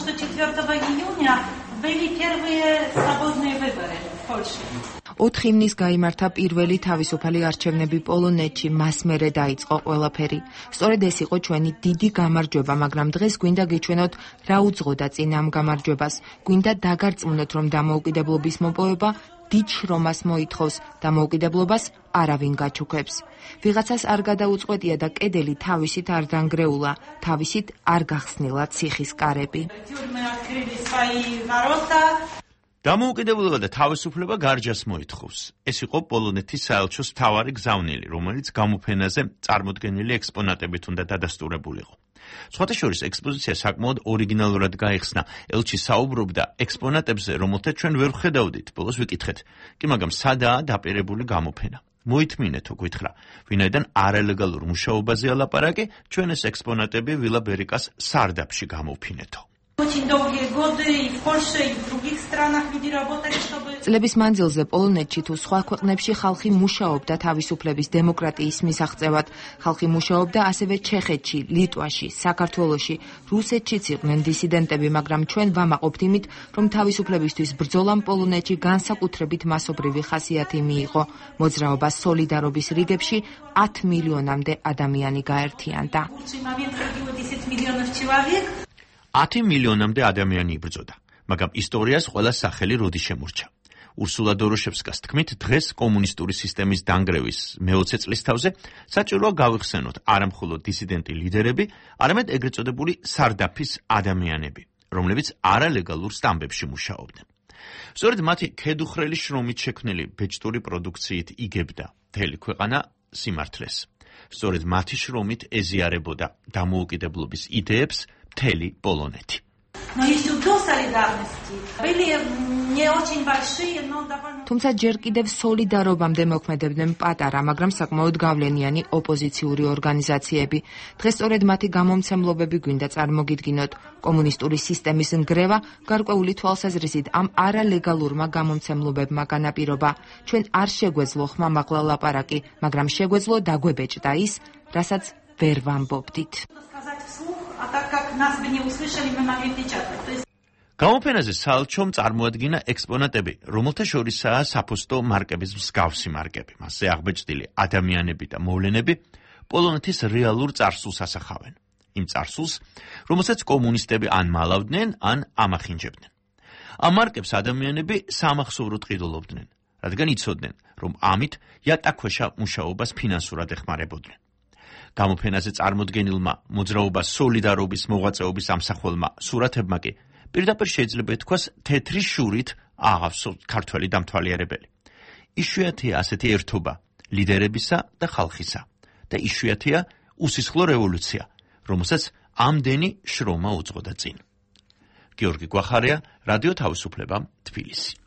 4 июня были первые свободные выборы в Польше. 4 ივნისს გაიმართა პირველი თავისუფალი არჩევნები პოლონეთში, მას მერე დაიწყო ყველაფერი. სწორედ ეს იყო ჩვენი დიდი გამარჯვება, მაგრამ დღეს გვინდა გიჩვენოთ, რა უძღოდა წინ ამ გამარჯვებას. გვინდა დაგარწმუნოთ, რომ დამოუკიდებლობის მოპოვება დიდ შრომას მოითხოვს, დამოუკიდებლობას არავინ გაჩუქებს. ვიღაცას არ გადაუწყვეტია და კედელი თავისით არ დანგრეულა, თავისით არ გახსნილა ციხის კარები. დამოუკიდებლობა და თავისუფლება გარჯას მოითხოვს. ეს იყო პოლონეთის საელჩოს მთავარი გზავნილი, რომელიც გამოფენაზე წარმოდგენილი ექსპონატებით უნდა დადასტურებულიყო. სხვათა შორის ექსპოზიცია საკმაოდ ორიგინალურად გაიხსნა. ელჩი საუბრობდა ექსპონატებზე, რომელთა ჩვენ ვერ ვხედავდით. ბოლოს ვიკითხეთ, კი მაგრამ სადაა დაპირებული გამოფენა? მოითმინეთო, გითხრა, ვინაიდან არალეგალურ მუშაობაზეა ლაპარაკი, ჩვენ ეს ექსპონატები ვილა ბერიკას სარდაფში გამოვფინეთო. წლების მანძილზე პოლონეთში თუ სხვა ქვეყნებში ხალხი მუშაობდა თავისუფლების დემოკრატიის მისაღწევად. ხალხი მუშაობდა ასევე ჩეხეთში, ლიტვაში, საქართველოში, რუსეთშიც იყვნენ დისიდენტები, მაგრამ ჩვენ ვამაყობთ იმით, რომ თავისუფლებისთვის ბრძოლამ პოლონეთში განსაკუთრებით მასობრივი ხასიათი მიიღო. მოძრაობა სოლიდარობის რიგებში 10 მილიონამდე ადამიანი გაერთიანდა. 10 მილიონამდე ადამიანი იბრძოდა, მაგრამ ისტორიას ყველა სახელი როდი შემორჩა. ურსულა დოროშევსკას თქმით, დღეს კომუნისტური სისტემის დანგრევის მე-20 წლის თავზე საჭიროა გავიხსენოთ არა მხოლოდ დისიდენტი ლიდერები, არამედ ეგრეთ წოდებული სარდაფის ადამიანები, რომლებიც არალეგალურ სტამბებში მუშაობდნენ. სწორედ მათი ქედუხრელი შრომით შექმნილი ბეჭდური პროდუქციით იგებდა მთელი ქვეყანა სიმართლეს. სწორედ მათი შრომით ეზიარებოდა დამოუკიდებლობის იდეებს მთელი პოლონეთი. თუმცა ჯერ კიდევ სოლიდარობამდე მოქმედებდნენ პატარა, მაგრამ საკმაოდ გავლენიანი ოპოზიციური ორგანიზაციები. დღეს სწორედ მათი გამომცემლობები გვინდა წარმოგიდგინოთ. კომუნისტური სისტემის ნგრევა გარკვეული თვალსაზრისით ამ არალეგალურმა გამომცემლობებმა განაპირობა. ჩვენ არ შეგვეძლო ხმამაღლა ლაპარაკი, მაგრამ შეგვეძლო დაგვებეჭდა ის, რასაც ვერ ვამბობდით. გამოფენაზე საელჩომ წარმოადგინა ექსპონატები, რომელთა შორისაა საფოსტო მარკების მსგავსი მარკები. მასზე აღბეჭდილი ადამიანები და მოვლენები პოლონეთის რეალურ წარსულს ასახავენ. იმ წარსულს, რომელსაც კომუნისტები ან მალავდნენ, ან ამახინჯებდნენ. ამ მარკებს ადამიანები სამახსოვროდ ყიდულობდნენ, რადგან იცოდნენ, რომ ამით იატაკქვეშა მუშაობას ფინანსურად ეხმარებოდნენ. გამოფენაზე წარმოდგენილმა მოძრაობა სოლიდარობის მოღვაწეობის ამსახველმა სურათებმა კი პირდაპირ შეიძლება ითქვას თეთრი შურით აღავსოთ ქართველი დამთვალიერებელი. იშვიათია ასეთი ერთობა ლიდერებისა და ხალხისა და იშვიათია უსისხლო რევოლუცია, რომელსაც ამდენი შრომა უძღოდა წინ. გიორგი გვახარია, რადიო თავისუფლება, თბილისი.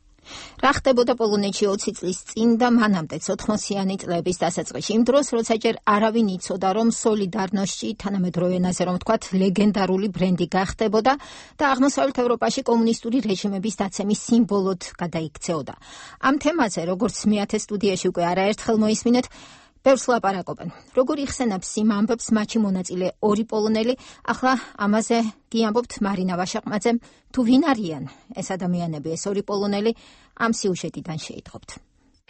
რა ხდებოდა პოლონეთში 20 წლის წინ და მანამდე 80-იანი წლების დასაწყისში, იმ დროს, როცა ჯერ არავინ იცოდა, რომ სოლიდარნოსში, თანამედროვე ენაზე რომ ვთქვათ, ლეგენდარული ბრენდი გახდებოდა და აღმოსავლეთ ევროპაში კომუნისტური რეჟიმების დაცემის სიმბოლოდ გადაიქცეოდა. ამ თემაზე, როგორც მეათე სტუდიაში უკვე არაერთხელ მოისმინეთ, ბევრს ლაპარაკობენ. როგორ იხსენებს იმ ამბებს მათში მონაწილე ორი პოლონელი, ახლა ამაზე გიამბობთ მარინა ვაშაყმაძემ, თუ ვინ არიან ეს ადამიანები, ეს ორი პოლონელი, ამ სიუჟეტიდან შეიტყობთ.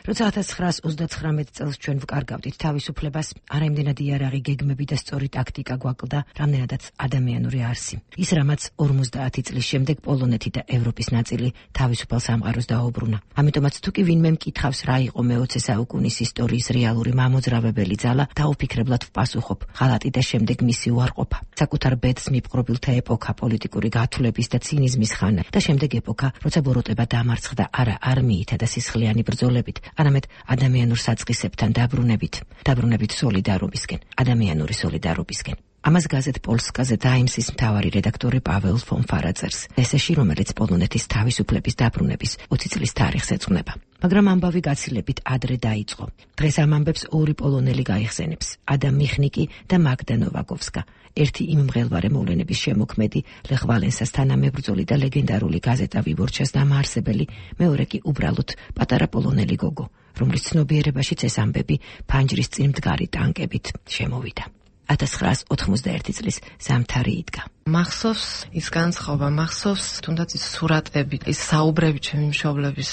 როცა 1939 წელს ჩვენ ვკარგავდით თავისუფლებას, არაიმდენად იარაღი გეგმები და სწორი ტაქტიკა გვაკლდა, რამდენადაც ადამიანური არსი. ის რამაც 50 წლის შემდეგ პოლონეთი და ევროპის ნაწილი თავისუფალ სამყაროს დაუბრუნა. ამიტომაც თუ კი ვინმე მკითხავს რა იყო მე-20 საუკუნის ისტორიის რეალური მამოძრავებელი ძალა, დაუფიქრებლად ვპასუხობ, ღალატი და შემდეგ მისი უარყოფა. საკუთარ ბედს მიპყრობილთა ეპოქა, პოლიტიკური გათვლების და ცინიზმის ხანა და შემდეგ ეპოქა, როცა ბოროტება დამარცხდა არა არმიითა და სისხლიანი ბრძოლებით, არამედ ადამიანურ საწყისებთან დაბრუნებით სოლიდარობისკენ, ადამიანური სოლიდარობისკენ. ამას გაზეთ პოლსკაზე ტაიმსის მთავარი რედაქტორი პაველ ფონ ფარაძერს, ესეში, რომელიც პოლონეთის თავისუფლების დაბრუნების 20 წლის თარიღს ეძღვნება. მაგრამ ამბავი გაცილებით ადრე დაიწყო. დღეს ამ ამბებს ორი პოლონელი გაიხსენებს, ადამ მიხნიკი და მაგდა ნოვაკოვსკა. ერთი იმ მღელვარე მოვლენების შემოქმედი, ლეხ ვალენსას თანამებრძოლი და ლეგენდარული გაზეტა ვიბორჩას დამაარსებელი, მეორე კი უბრალოდ პატარა პოლონელი გოგო, რომლის ცნობიერებაშიც ეს ამბები ფანჯრის წინ მდგარი ტანკებით შემოვიდა. 1991 წლის ზამთარი იდგა. მახსოვს ის განსხვავება, მახსოვს თუნდაც ის სურათები, ის საუბრები ჩემი მშობლების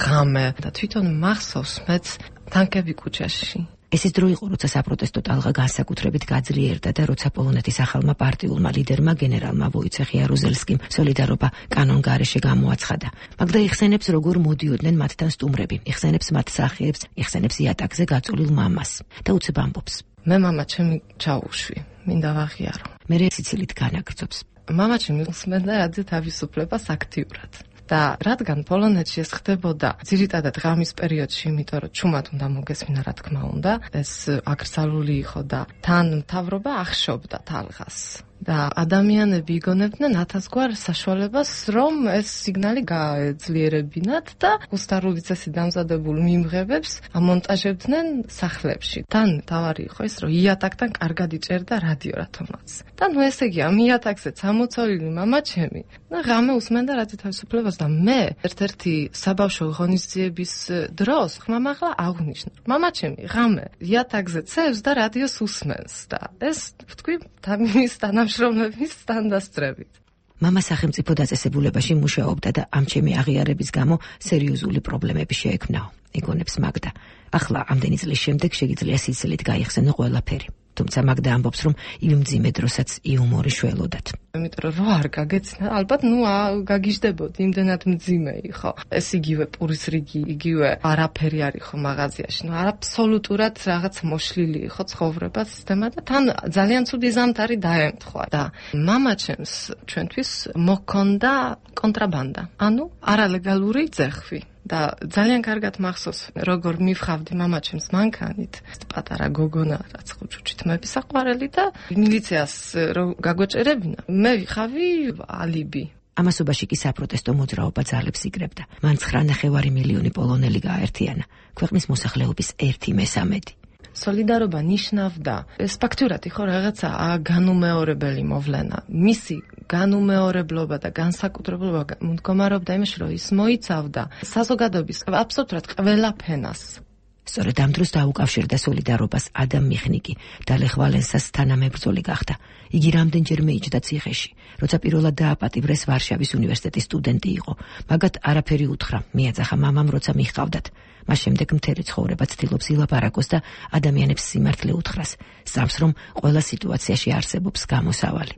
ღამე და თვითონ მახსოვს მეც ტანკები კუჩაში. ეს ის დრო იყო, როცა საპროტესტო ტალღა განსაკუთრებით გაძლიერდა და როცა პოლონეთის ახალმა პარტიულმა ლიდერმა გენერალმა ვოიცეხ იარუზელსკიმ სოლიდარობა კანონგარეშე გამოაცხადა. მაგდა იხსენებს, როგორ მოდიოდნენ მათთან სტუმრები, იხსენებს მათ სახეებს, იხსენებს იატაკზე გაწოლილ მამას და უცებ ამბობს. მე მამა ჩემი ჩაუშვი, მინდა ვაღიარო. მე სიცილით განაგრძობს. მამა ჩემი უსმენდა რადიო თავისუფლებას აქტიურად. და რადგან პოლონეთში ეს ხდებოდა ძირითადად ღამის პერიოდში, იმიტომ რომ ჩუმად უნდა მოგესმინა, რა თქმა უნდა, ეს აკრძალული იყო და თან მთავრობა ახშობდა თალღას. და ადამიანები იგონებდნენ ათასგვარ საშუალებას, რომ ეს სიგნალი გაეძლიერებინათ და უსტარულიცესი დამზადებულ მიმღებებს ამონტაჟებდნენ სახლებში. თან თავარი იყო ის, რომ იატაკთან კარგად იჭერდა რადიო რათომაც. და ნუ ესე იგი, ამ იატაკზე წამოწოლილი მამაჩემი და ღამე უსმენდა რადიო თავისუფლებას და მე ერთ-ერთი საბავშვო ღონისძიების დროს ხმამაღლა აღვნიშნე. მამაჩემი ღამე იატაკზე წევს და რადიოს უსმენს და ეს ვთქვი თავის თანამშრომლების სტანდარტებით. მამა სახელმწიფო დაწესებულებაში მუშაობდა და ამ ჩემი აღიარების გამო სერიოზული პრობლემები შეექმნაო. იგონებს მაგდა. ახლა ამდენი წლის შემდეგ შეგიძლია სიცილით გაიხსენო ყველაფერი. თუმცა მაგდა ამბობს, რომ იმ მძიმე დროსაც იუმორი შველოდათ. იმიტომ რომ რო არ გაგეცნა, ალბათ გაგიჟდებოდი, იმდენად მძიმე იყო. ეს იგივე პურის რიგი, იგივე არაფერი არ იყო მაღაზიაში. აბსოლუტურად რაღაც მოშლილი იყო ცხოვრება, სისტემა და თან ძალიან ცუდი ზამთარი დაემთხვა და მამაჩემს ჩვენთვის მოქონდა კონტრაბანდა. ანუ არალეგალური ძეხვი. და ძალიან კარგად მახსოვს, როგორ მივხავდი მამაჩემს მანქანით, პატარა გოგონა, რაც ხუჭუჭით მებისაყვარელი და მილიციას რო გაგვეჭერებინა, მე ვიხავი ალიბი. ამასობაში კი საპროტესტო მოძრაობა ძალებს იგრებდა. მან 9.5 მილიონი პოლონელი გააერთიანა, ქვეყნის მოსახლეობის 1/3. სოლიდარობა ნიშნავდა ეს ფაქტურად იყო რაღაცა განუმეორებელი მოვლენა. მისი განუმეორებლობა და განსაკუთრებულობა მდგომარეობდა იმაში, რომ ის მოიცავდა საზოგადოების აბსოლუტურად ყველა ფენას. სწორედ ამ დროს დაუკავშირდა სოლიდარობას ადამ მიხნიკი და ლეხ ვალენსას თანამებრძოლი გახდა. იგი რამდენჯერმე იჯდა ციხეში, როცა პირველად დააპატიმრეს ვარშავის უნივერსიტეტის სტუდენტი იყო. მაგათ არაფერი უთხრა, მიაძახა მამამ, როცა მიჰყავდათ. მას შემდეგ მთელი ცხოვრება ცდილობს ილაპარაკოს და ადამიანებს სიმართლე უთხრას. სწამს, რომ ყველა სიტუაციაში არსებობს გამოსავალი.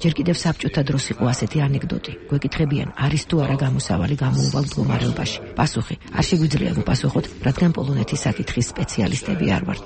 ჯერ კიდევ საბჭოთა დროს იყო ასეთი ანეკდოტი. გვეკითხებიან, არის თუ არა გამოსავალი გამოუვალ მდგომარეობაში. პასუხი: არ შეგვიძლია მოპასუხოთ, რადგან პოლონეთის საკითხის სპეციალისტები არ ვართ.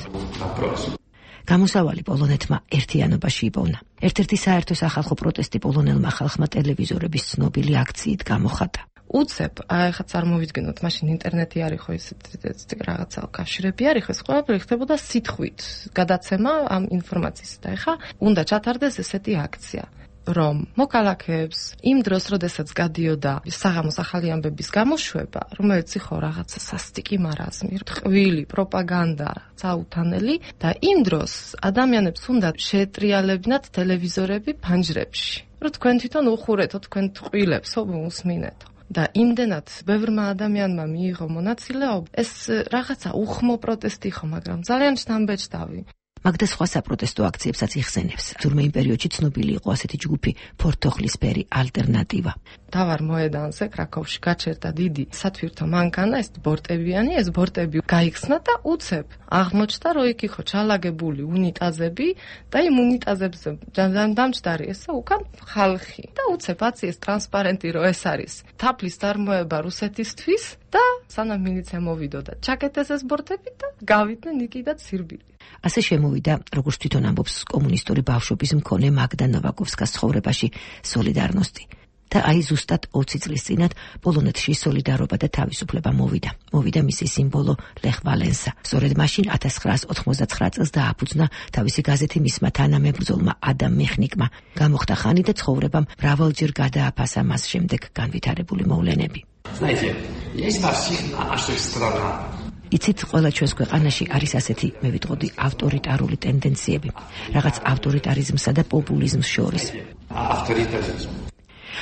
გამოსავალი პოლონეთმა ერთიანობაში იპოვნა. ერთ-ერთი საერთო სახალხო პროტესტი პოლონელმა ხალხმა ტელევიზორების ცნობილი აქციით გამოხატა. უცებ, ახლა წარმოვიდგინოთ, მაშინ ინტერნეტი არ იყო ესეთი რაღაცა კავშირები არ იყო, ეს ყველაფერი ხდებოდა სიტყვით, გადაცემა ამ ინფორმაციის და ახლა უნდა ჩათარდეს ესეთი აქცია, რომ მოქალაქეებს იმ დროს, როდესაც გადიოდა საღამოს ახალი ამბების გამოშვება, რომელიც იყო რაღაცა სასტიკი მარაზმი, ტყვილი პროპაგანდა, წაუთანელი და იმ დროს ადამიანებს უნდა შეეტრიალებინათ ტელევიზორები ფანჯრებში, რომ თქვენ თვითონ უხურეთო, თქვენ ტყვილებს უსმინეთო. და იმდენად ბევრმა ადამიანმა მიიღო მონაწილეობა, ეს რაღაცა უხმო პროტესტი იყო, მაგრამ ძალიან შთამბეჭდავი. მაგდა სხვა საპროტესტო აქციებსაც იხსენებს. თურმე იმ პერიოდში ცნობილი იყო ასეთი ჯგუფი ფორთოხლისფერი ალტერნატივა. დავარ მოედანზე კრაკოვში გაჩერდა დიდი სათვირთო მანქანა, ეს ბორტებიანი, ეს ბორტები გაიხსნა და უცებ აღმოჩნდა, რომ იქ იყო ჩალაგებული უნიტაზები და იმ უნიტაზებზე დამჯდარი ესა უკან ხალხი და უცებ აციეს ტრანსპარენტი, რომ ეს არის თაფლის წარმოება რუსეთისთვის და სანამ მილიცია მოვიდოდა, ჩაკეტეს ეს ბორტები და გავიდნენ იქიდან სირბილი. ასე შემოვიდა, როგორც თვითონ ამბობს კომუნისტური ბავშვობის მქონე მაგდა ნოვაკოვსკას ცხოვრებაში სოლიდარნოსტი. და აი ზუსტად 20 წლის წინათ პოლონეთში სოლიდარობა და თავისუფლება მოვიდა. მოვიდა მისი სიმბოლო ლეხ ვალენსა. სწორედ მაშინ 1989 წელს დააფუძნა თავისი გაზეთი მისმა თანამებრძოლმა ადამ მიხნიკმა. გამოხდა ხანი და ცხოვრებამ მრავალჯერ გადააფასა მას შემდეგ განვითარებული მოვლენები. იცით, ყველა ჩვენს ქვეყანაში არის ასეთი, მე ვიტყოდი, ავტორიტარული ტენდენციები, რაღაც ავტორიტარიზმსა და პოპულიზმს შორის.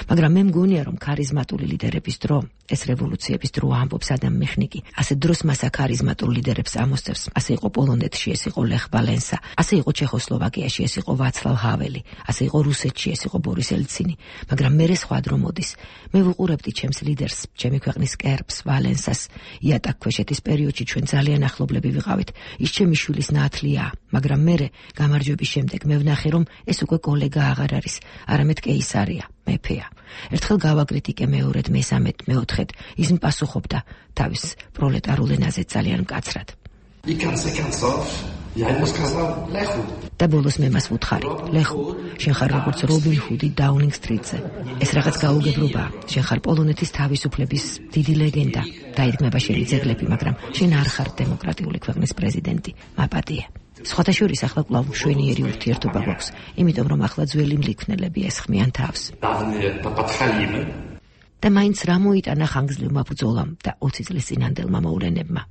მაგრამ მე მგონია, რომ ქარიზმატული ლიდერების დრო, ეს რევოლუციების დრო ამბობს ადამ მიხნიკი. ასეთ დროს მას ქარიზმატულ ლიდერებს ამოსწევს. ასე იყო პოლონეთში, ეს იყო ლეხ ვალენსა, ასე იყო ჩეხოსლოვაკიაში, ეს იყო ვაცლავ ჰაველი, ასე იყო რუსეთში, ეს იყო ბორის ელცინი. მაგრამ მე სხვა დრო მოდის. მე ვუყურებდი ჩემს ლიდერს, ჩემი ქვეყნის კერპს, ვალენსას. იატაკქვეშეთის პერიოდში ჩვენ ძალიან ახლობლები ვიყავით. ის ჩემი შვილის ნათლია, მაგრამ მე გამარჯვების შემდეგ მე ვნახე, რომ ეს უკვე კოლეგა აღარ არის, არამედ კეისარია. მეფეა. ერთხელ გავაკრიტიკე მეორედ, მესამედ, მეოთხედ, ის მპასუხობდა თავის პროლეტარულ ენაზე ძალიან მკაცრად. და ბოლოს მე მას ვუთხარი, ლეხო, შენ ხარ როგორც რობინ ჰუდი დაუნინგ სტრიტზე. ეს რაღაც გაუგებრობაა. შენ ხარ პოლონეთის თავისუფლების დიდი ლეგენდა. დაიდგმება შენი ძეგლები, მაგრამ შენ არ ხარ დემოკრატიული ქვეყნის პრეზიდენტი. მაპატია. სხვათა შორის ახლა კვლავ მშვენიერი ურთიერთობა გვაქვს, იმიტომ რომ ახლა ძველი მლიქნელები ესხმიან თავს. და მაინც რა მოიტანა ხანგრძლივმა ბრძოლამ და 20 წლის წინანდელმა მოვლენებმა.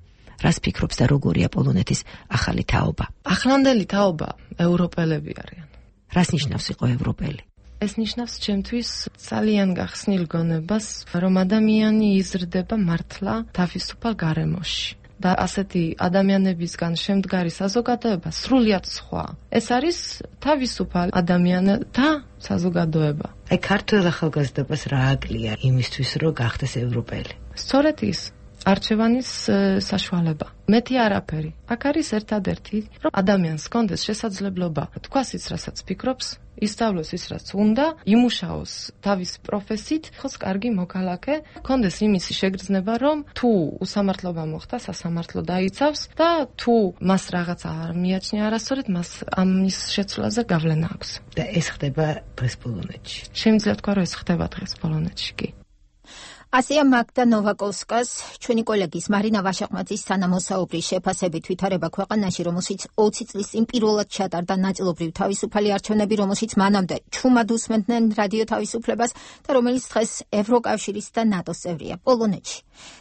რას ფიქრობს და როგორია პოლონეთის ახალი თაობა? ახლანდელი თაობა ევროპელები არიან. რას ნიშნავს იყო ევროპელი? ეს ნიშნავს ჩემთვის ძალიან გახსნილ გონებას, რომ ადამიანი იზრდება მართლა თავისუფალ გარემოში. და ასეთი ადამიანებისგან შემდგარი საზოგადოება სრულიად სხვა. ეს არის თავისუფალ ადამიანთა საზოგადოება. აი ქართულ ახალგაზრდობას რა აკლია იმისთვის, რომ გახდეს ევროპელი? სწორედ ის არჩევანის საშუალება. მეტი არაფერი. აქ არის ერთადერთი, რომ ადამიანს ჰქონდეს შესაძლებლობა თქვას ის, რასაც ფიქრობს, ისწავლოს ის, რაც უნდა, იმუშაოს თავის პროფესიით, ხოს კარგი მოქალაქე, ჰქონდეს იმისი შეგრძნება, რომ თუ უსამართლობა მოხდა, სასამართლო დაიცავს და თუ მას რაღაცა არ მიაჩნია არასწორად, მას ამის შეცვლაზე გავლენა აქვს. და ეს ხდება დღეს პოლონეთში. შემიძლია თქვა, რომ ეს ხდება დღეს პოლონეთში კი. ასია მაგდა ნოვაკოვსკას, ჩვენი კოლეგის მარინა ვაშაყმაძის თანამოსაუბრის შეფასებით ვითარება ქვეყანაში, რომელშიც 20 წლის წინ პირველად ჩატარდა ნაწილობრივ თავისუფალი არჩევნები, რომელშიც მანამდე ჩუმად უსმენდნენ რადიო თავისუფლებას და რომელიც დღეს ევროკავშირის და ნატოს წევრია პოლონეთში.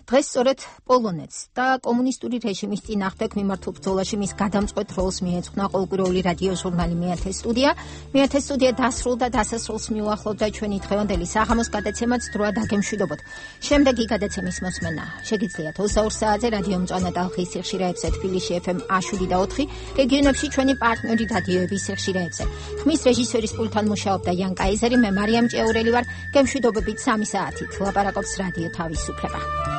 დღეს სწორედ პოლონეთს და კომუნისტური რეჟიმის წინააღმდეგ მიმართულ ბრძოლაში მის გადამწყვეტ როლს მიეძღვნა ყოველკვირეული რადიო ჟურნალი მეათე სტუდია. მეათე სტუდია დასრულდა დასასრულს მიუახლოვდა ჩვენი დღევანდელი საღამოს გადაცემაც დროა დაგემშვიდობოთ. შემდეგი გადაცემის მოსმენა შეგიძლიათ 22 საათზე რადიო მწვანე ტალღის სიხშირეებზე თბილისში FM 107 და 4, რეგიონებში ჩვენი პარტნიორი რადიოების სიხშირეებზე. ხმის რეჟისორის პულტთან მუშაობდა იან კაიზერი, მე მარიამ ჭეურელი ვარ. გემშვიდობებით 3 საათით ლაპარაკობს რადიო თავისუფლება.